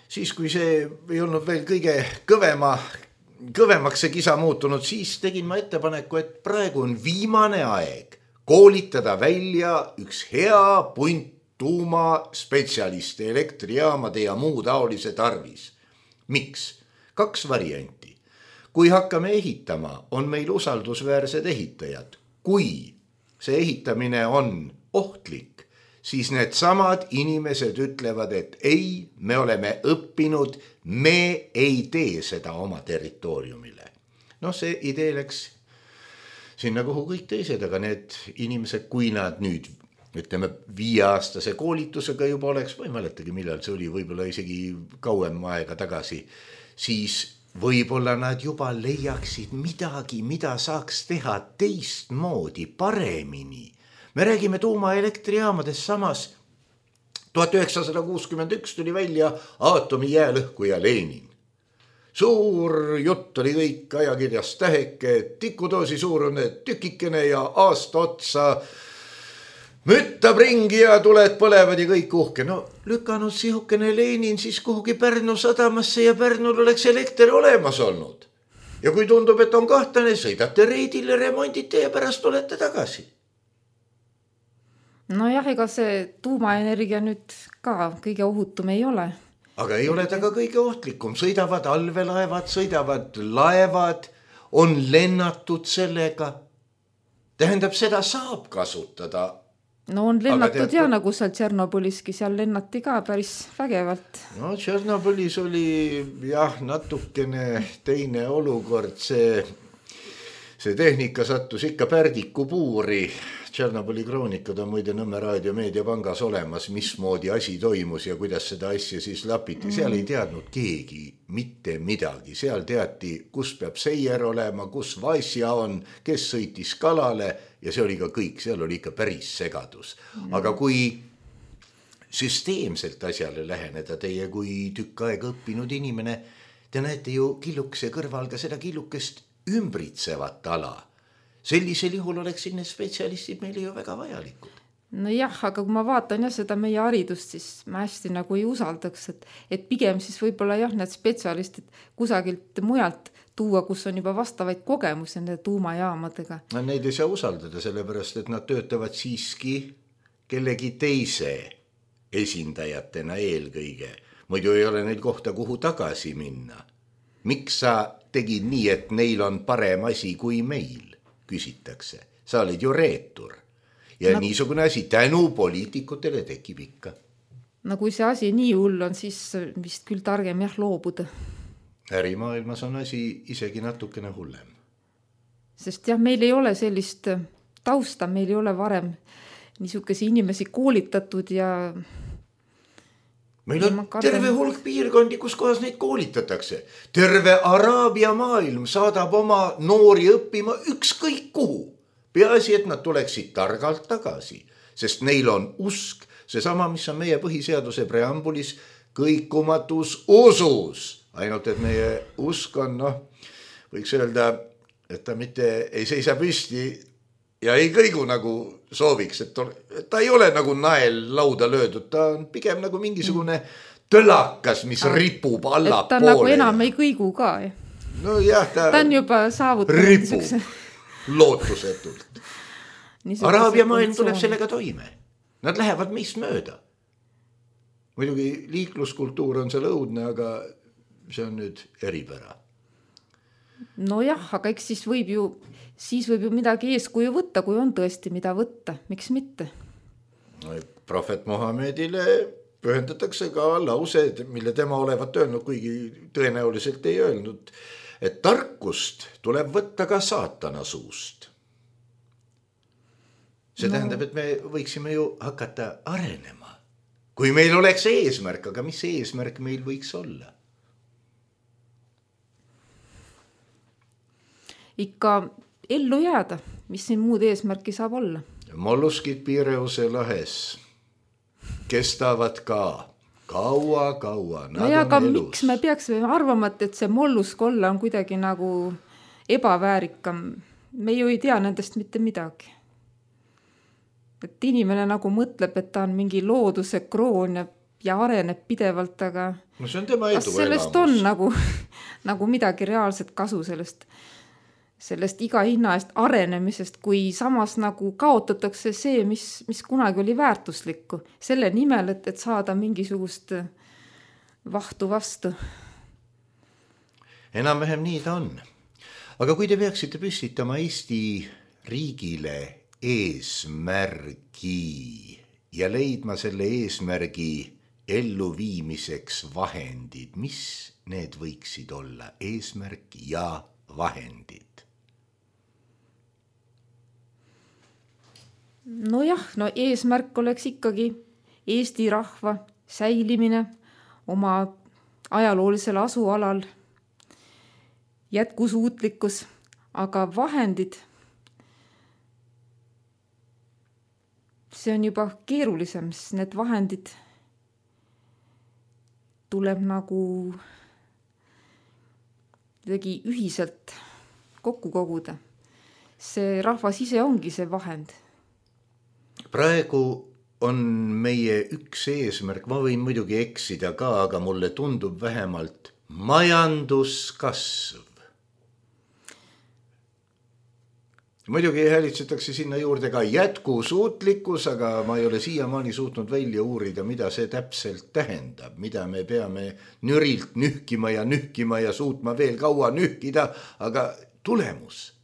siis kui see ei olnud veel kõige kõvema, kõvemaks see kisa muutunud, siis tegin ma ettepaneku, et praegu on viimane aeg koolitada välja üks hea punt tuumaspetsialiste elektrijaamade ja muu taolise tarvis. Miks? Kaks varianti. Kui hakkame ehitama, on meil usaldusväärsed ehitajad. Kui see ehitamine on ohtlik, siis need samad inimesed ütlevad, et ei, me oleme õppinud, me ei tee seda oma territooriumile. No see idee läks sinna, kuhu kõik teised, aga need inimesed, kui nad nüüd, ütleme, viieaastase koolitusega juba oleks, ma ei mäletagi, millal see oli, võib-olla isegi kauem aega tagasi, siis võib-olla nad juba leiaksid midagi, mida saaks teha teistmoodi, paremini. Me räägime tuumaelektrijaamadest, samas tuhat üheksasada kuuskümmend üks tuli välja aatomi jäälõhkuja Lenin. Suur jutt oli kõik ajakirjas täheke, tikudoosi suurune tükikene ja aasta otsa müttab ringi ja tuled põlevad ja kõik uhke. No lükanud sihukene Lenin siis kuhugi Pärnu sadamasse ja Pärnul oleks elekter olemas olnud. Ja kui tundub, et on kahtlane, sõidate reidile, remondite ja pärast olete tagasi. No jah, ega see tuumaenergia nüüd ka kõige ohutum ei ole. Aga ei ole ta ka kõige ohtlikum. Sõidavad allvelaevad, sõidavad laevad, on lennatud sellega. Tähendab, seda saab kasutada. No on lennatud tead, ja nagu seal Tšernobõliski, seal lennati ka päris vägevalt. No Tšernobõlis oli jah natukene teine olukord, see, see tehnika sattus ikka pärdiku puuri. Tšernobõli kroonikad on muide Nõmme Raadio Meediapangas olemas, mismoodi asi toimus ja kuidas seda asja siis lapiti. Seal ei teadnud keegi mitte midagi. Seal teati, kus peab seier olema, kus vaasja on, kes sõitis kalale ja see oli ka kõik. Seal oli ikka päris segadus. Aga kui süsteemselt asjale läheneda teie kui tükk aega õppinud inimene, te näete ju killukese kõrval ka seda killukest ümbritsevat ala. Sellisel juhul oleks sinne spetsialistid meile ju väga vajalikud. No jah, aga kui ma vaatan jah seda meie haridust, siis ma hästi nagu ei usaldaks, et, et pigem siis võib-olla jah need spetsialistid kusagilt mujalt tuua, kus on juba vastavaid kogemusi nende tuumajaamadega. No, neid ei saa usaldada, sellepärast, et nad töötavad siiski kellegi teise esindajatena eelkõige. Muidu ei ole neil kohta, kuhu tagasi minna. Miks sa tegid nii, et neil on parem asi kui meil? Küsitakse. Sa olid ju reetur. Ja no, niisugune asi tänu poliitikutele tekib ikka. No kui see asi nii hull on, siis vist küll targem jah loobuda. Ärimaailmas on asi isegi natukene hullem. Sest jah, meil ei ole sellist tausta, meil ei ole varem niisuguse inimesi koolitatud ja meil on terve hulk piirkondi, kus kohas neid koolitatakse. Terve Araabia maailm saadab oma noori õppima ükskõik kuhu. Peaasi, et nad tuleksid targalt tagasi, sest neil on usk, seesama, mis on meie põhiseaduse preambulis, kõikumatus usus. Ainult, et meie usk on, noh, võiks öelda, et ta mitte ei seisa püsti ja ei kõigu nagu sooviks, et ta ei ole nagu nael lauda löödud, ta on pigem nagu mingisugune tõlakas, mis ah, ripub alla poole. Ta poole. nagu enam ei kõigu ka. No jah, ta, ta on juba saavutanud. Ripub niisuguse... lootusetult. Araabia maailm tuleb sellega toime. Nad lähevad meist mööda. Muidugi liikluskultuur on seal õudne, aga see on nüüd eripära. No jah, aga eks siis võib ju, siis võib ju midagi eeskuju võtta, kui on tõesti mida võtta. Miks mitte? No, prohvet Mohamedile pühendatakse ka lause, mille tema olevat öelnud, kuigi tõenäoliselt ei öelnud, et tarkust tuleb võtta ka saatana suust. See no. tähendab, et me võiksime ju hakata arenema. Kui meil oleks eesmärk, aga mis eesmärk meil võiks olla? Ikka ellu jääda, mis siin muud eesmärki saab olla. Molluskid Piireuse lahes kestavad ka kaua-kaua. No ja aga elus. Miks me peaksime arvama, et see mollusk olla on kuidagi nagu ebaväärikam? Me ju ei tea nendest mitte midagi. Et inimene nagu mõtleb, et ta on mingi looduse kroon ja, ja areneb pidevalt, aga no see on tema edu sellest elamus. On nagu, nagu midagi reaalset kasu sellest sellest iga hinna eest arenemisest, kui samas nagu kaotatakse see, mis, mis kunagi oli väärtuslikku. Selle nimel, et, et saada mingisugust vahtu vastu. Enam-vähem nii ta on. Aga kui te peaksite püstitama Eesti riigile eesmärgi ja leidma selle eesmärgi elluviimiseks vahendid, mis need võiksid olla? Eesmärk ja vahendid. No jah, no eesmärk oleks ikkagi Eesti rahva säilimine oma ajaloolisel asualal, jätkusuutlikkus, aga vahendid, see on juba keerulisem, sest need vahendid tuleb nagu kuidagi ühiselt kokku koguda. See rahvas ise ongi see vahend. Praegu on meie üks eesmärk, ma võin muidugi eksida ka, aga mulle tundub vähemalt majanduskasv. Muidugi häälitsetakse sinna juurde ka jätkusuutlikkus, aga ma ei ole siiamaani suutnud välja uurida, mida see täpselt tähendab, mida me peame nürilt nühkima ja nühkima ja suutma veel kaua nühkida, aga tulemus.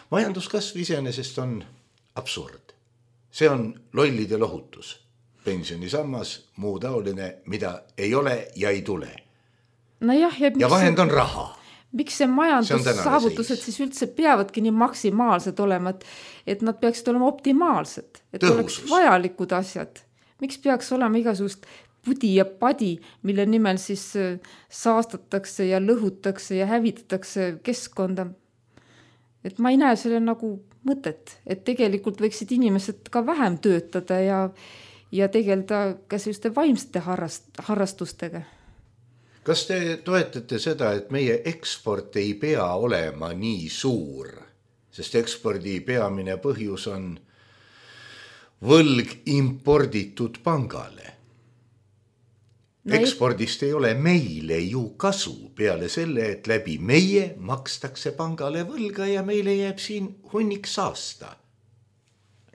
Majanduskasv iseenesest on absurd. See on lollide lohutus. Pensionisammas, muu taoline, mida ei ole ja ei tule. No jah, ja, ja vahend on raha. Miks see majandussaavutused siis üldse peavadki nii maksimaalsed olema, et, et nad peaksid olema optimaalsed, et Tõhusus. Oleks vajalikud asjad. Miks peaks olema igasugust pudi ja padi, mille nimel siis saastatakse ja lõhutakse ja hävitatakse keskkonda? Et ma ei näe selle nagu mõtet, et tegelikult võiksid inimesed ka vähem töötada ja, ja tegeleda ka selliste vaimsete harrast, harrastustega. Kas te toetate seda, et meie eksport ei pea olema nii suur, sest ekspordi peamine põhjus on võlg imporditud pangale? No ekspordist ei ole meile ju kasu peale selle, et läbi meie makstakse pangale võlga ja meile jääb siin hunnik saasta.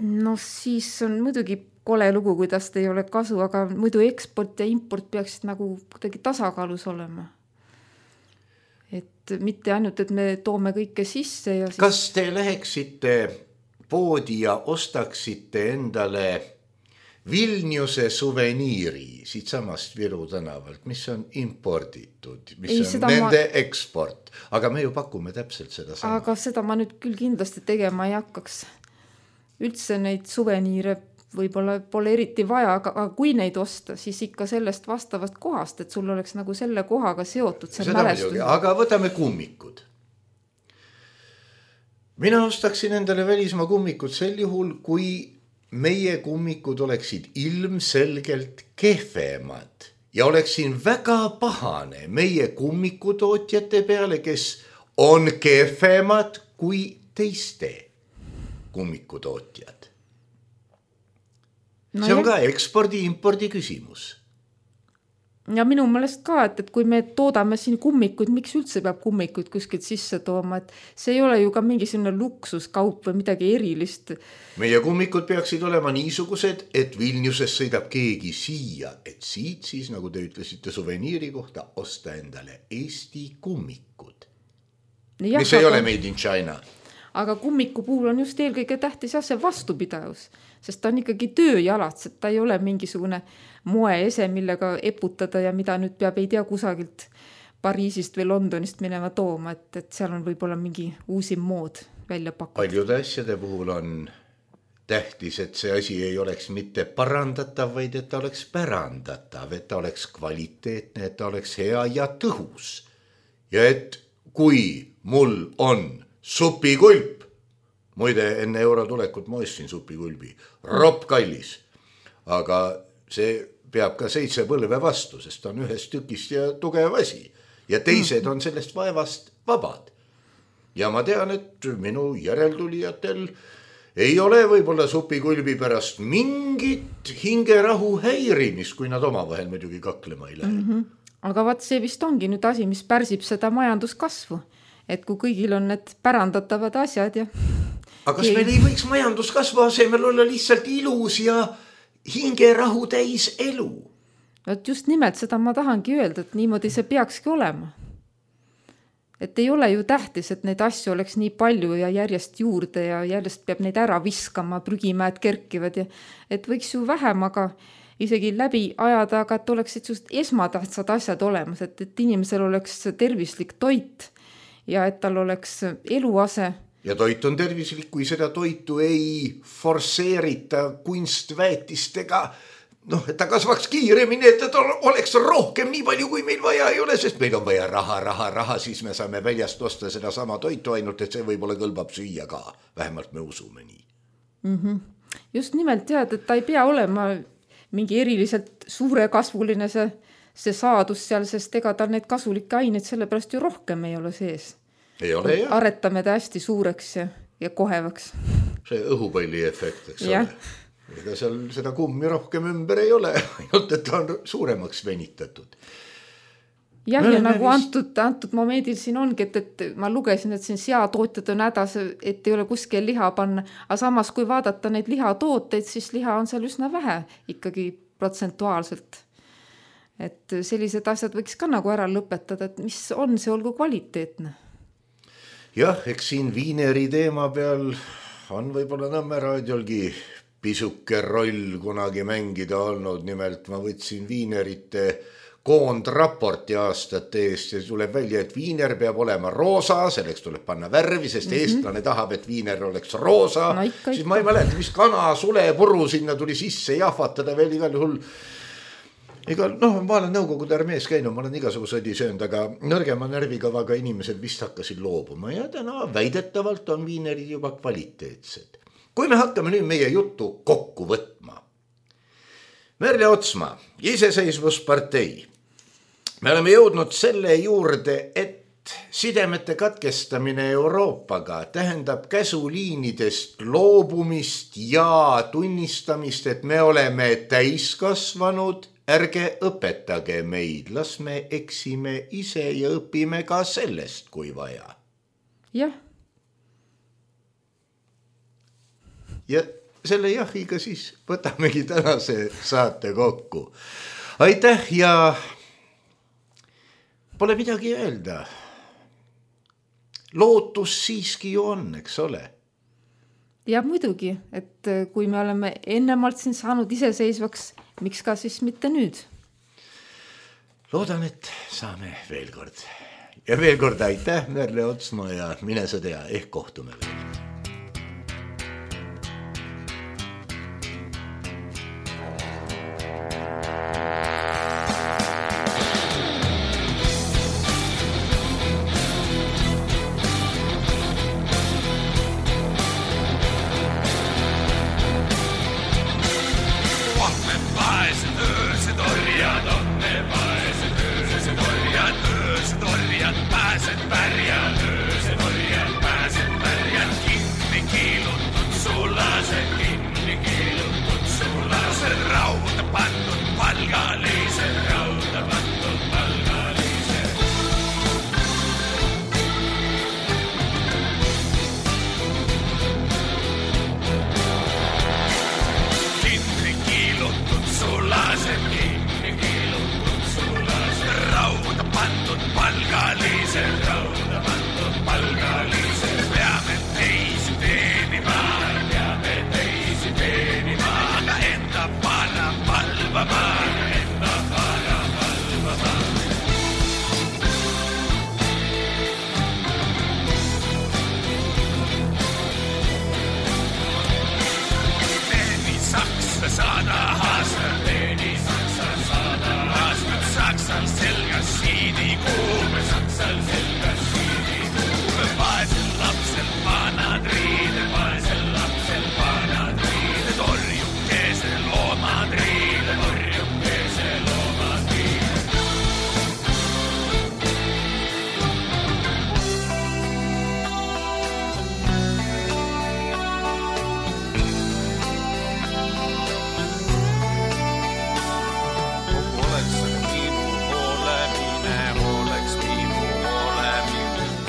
No siis on muidugi kole lugu, kuidas ei ole kasu, aga muidu eksport ja import peaksid nagu kuidagi tasakaalus olema. Et mitte ainult, et me toome kõike sisse ja siis... Kas te läheksite poodi ja ostaksite endale Vilniuse suveniiri siit samast Viru tänavalt, mis on imporditud, mis ei, on nende ma... eksport, aga me ju pakume täpselt seda sama. Aga seda ma nüüd küll kindlasti tegema ei hakkaks. Üldse neid suveniire võib-olla pole eriti vaja, aga, aga kui neid osta, siis ikka sellest vastavast kohast, et sul oleks nagu selle kohaga seotud see mälestus. Aga võtame kummikud. Mina ostaksin endale välismaa kummikud sel juhul, kui meie kummikud oleksid ilmselgelt kehvemad ja oleksin väga pahane meie kummikutootjate peale, kes on kehvemad kui teiste kummikutootjad. No see on jah. Ka ekspordi-impordi küsimus. Ja minu meelest ka, et, et kui me toodame siin kummikuid, miks üldse peab kummikuid kuskilt sisse tooma, et see ei ole ju ka mingisugune luksuskaup või midagi erilist. Meie kummikud peaksid olema niisugused, et Vilniuses sõidab keegi siia, et siit siis, nagu te ütlesite suveniiri kohta, osta endale Eesti kummikud. Ja, mis ei aga... ole made in China. Aga kummiku puhul on just eelkõige tähtis ja see vastupidavus, sest ta on ikkagi tööjalats, et ta ei ole mingisugune moeese, millega eputada ja mida nüüd peab ei tea kusagilt Pariisist või Londonist minema tooma, et, et seal on võib-olla mingi uusim mood välja pakutud. Paljude asjade puhul on tähtis, et see asi ei oleks mitte parandatav, vaid et ta oleks pärandatav, et ta oleks kvaliteetne, et ta oleks hea ja tõhus. Ja et kui mul on supikulp, muide enne euro tulekut ma ostsin supikulbi, ropp kallis, aga see peab ka seitse põlve vastu, sest ta on ühest tükist ja tugev asi ja teised on sellest vaevast vabad. Ja ma tean, et minu järeltulijatel ei ole võib-olla supikulbi pärast mingit hingerahu häirimist, kui nad omavahel muidugi kaklema ei lähe. Mm-hmm. Aga vaat see vist ongi nüüd asi, mis pärsib seda majanduskasvu. Et kui kõigil on need pärandatavad asjad ja... Aga kas meil ei võiks majanduskasvu asemel olla lihtsalt ilus ja hingerahu täis elu? Et just nimelt seda ma tahangi öelda, et niimoodi see peakski olema. Et ei ole ju tähtis, et neid asju oleks nii palju ja järjest juurde ja järjest peab neid ära viskama, prügimäed kerkivad ja et võiks ju vähem, aga isegi läbi ajada, aga et oleksid just esmatähtsad asjad olemas, et, et inimesel oleks tervislik toit ja et tal oleks eluase. Ja toit on tervislik, kui seda toitu ei forseerita kunstväetistega, noh, et ta kasvaks kiiremini, et ta oleks rohkem nii palju, kui meil vaja ei ole, sest meil on vaja raha, raha, raha, siis me saame väljast osta seda sama toitu ainult, et see võib-olla kõlbab süüa ka. Vähemalt me usume nii. Mm-hmm. Just nimelt tead, et ta ei pea olema mingi eriliselt suure kasvuline see, see saadus seal, sest ega tal need kasulikke aineid sellepärast ju rohkem ei ole sees. Ei ole, jah. Aretame ta hästi suureks ja, ja kohevaks. See õhupalli efekt, eks ja. Ole. Ega seal seda kummi rohkem ümber ei ole, ainult et ta on suuremaks venitatud. Jah, ja nagu antud, antud momendil siin ongi, et, et ma lugesin, et siin seatootjad on hädas, et ei ole kuskil liha panna, aga samas kui vaadata neid lihatooteid, siis liha on seal üsna vähe ikkagi protsentuaalselt. Et sellised asjad võiks ka nagu ära lõpetada, et mis on see olgu kvaliteetne. Jah, eks siin viineri teema peal on võib-olla Nõmme raadiolgi pisuke roll kunagi mängida olnud, nimelt ma võtsin viinerite koondraporti aastate eest ja tuleb välja, et viiner peab olema roosa, selleks tuleb panna värvi, sest mm-hmm. eestlane tahab, et viiner oleks roosa, no, ikka, siis ikka. Ma ei mäleta, mis kana, sule, puru sinna tuli sisse jahvatada veel igal juhul. Ega, noh, ma olen nõukogude armees käinud, ma olen igasugused söönud, aga nõrgema närvikavaga inimesed vist hakkasid loobuma ja täna väidetavalt on viinerid juba kvaliteetsed. Kui me hakkame nüüd meie juttu kokku võtma. Merle Otsma, iseseisvuspartei. Me oleme jõudnud selle juurde, et sidemete katkestamine Euroopaga tähendab käsuliinidest loobumist ja tunnistamist, et me oleme täiskasvanud. Ärge õpetage meid, las me eksime ise ja õpime ka sellest, kui vaja. Jah. Ja selle jahiga siis võtamegi tänase saate kokku. Aitäh ja pole midagi öelda. Lootus siiski ju on, eks ole. Ja muidugi, et kui me oleme ennemalt siin saanud iseseisvaks, miks ka siis mitte nüüd? Loodan, et saame veel kord. Ja veel kord aitäh, Merle Otsma ja mine sa tea, ehk kohtume veel.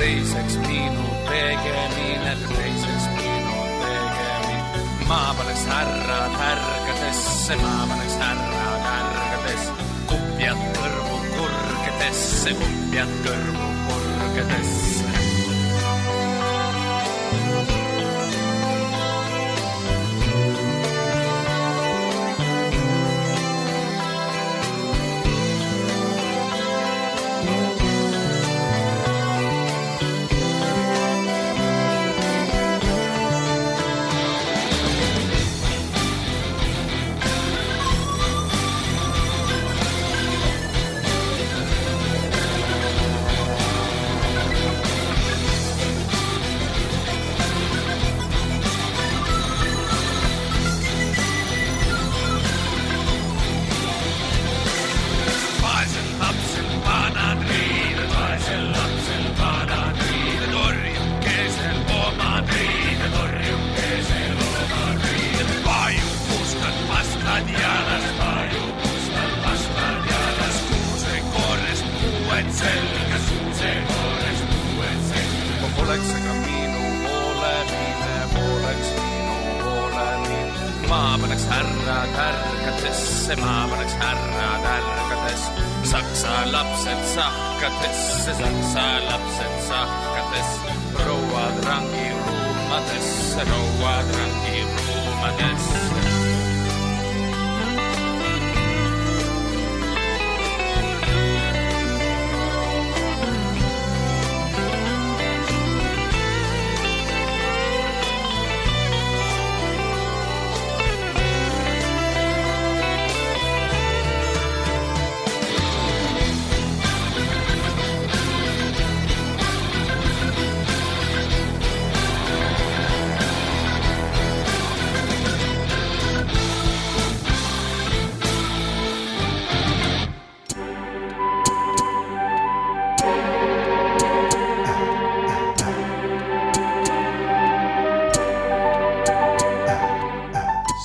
teiseks minu tegemine, teiseks minu tegemine. Ma paneks härrad härgadesse, ma paneks härrad härgadesse, kupjad kõrvu kurgedesse, kupjad kõrvu kurgedesse.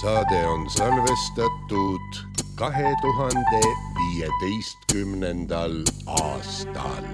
Saade on salvestatud kahe tuhande viieteistkümnendal aastal.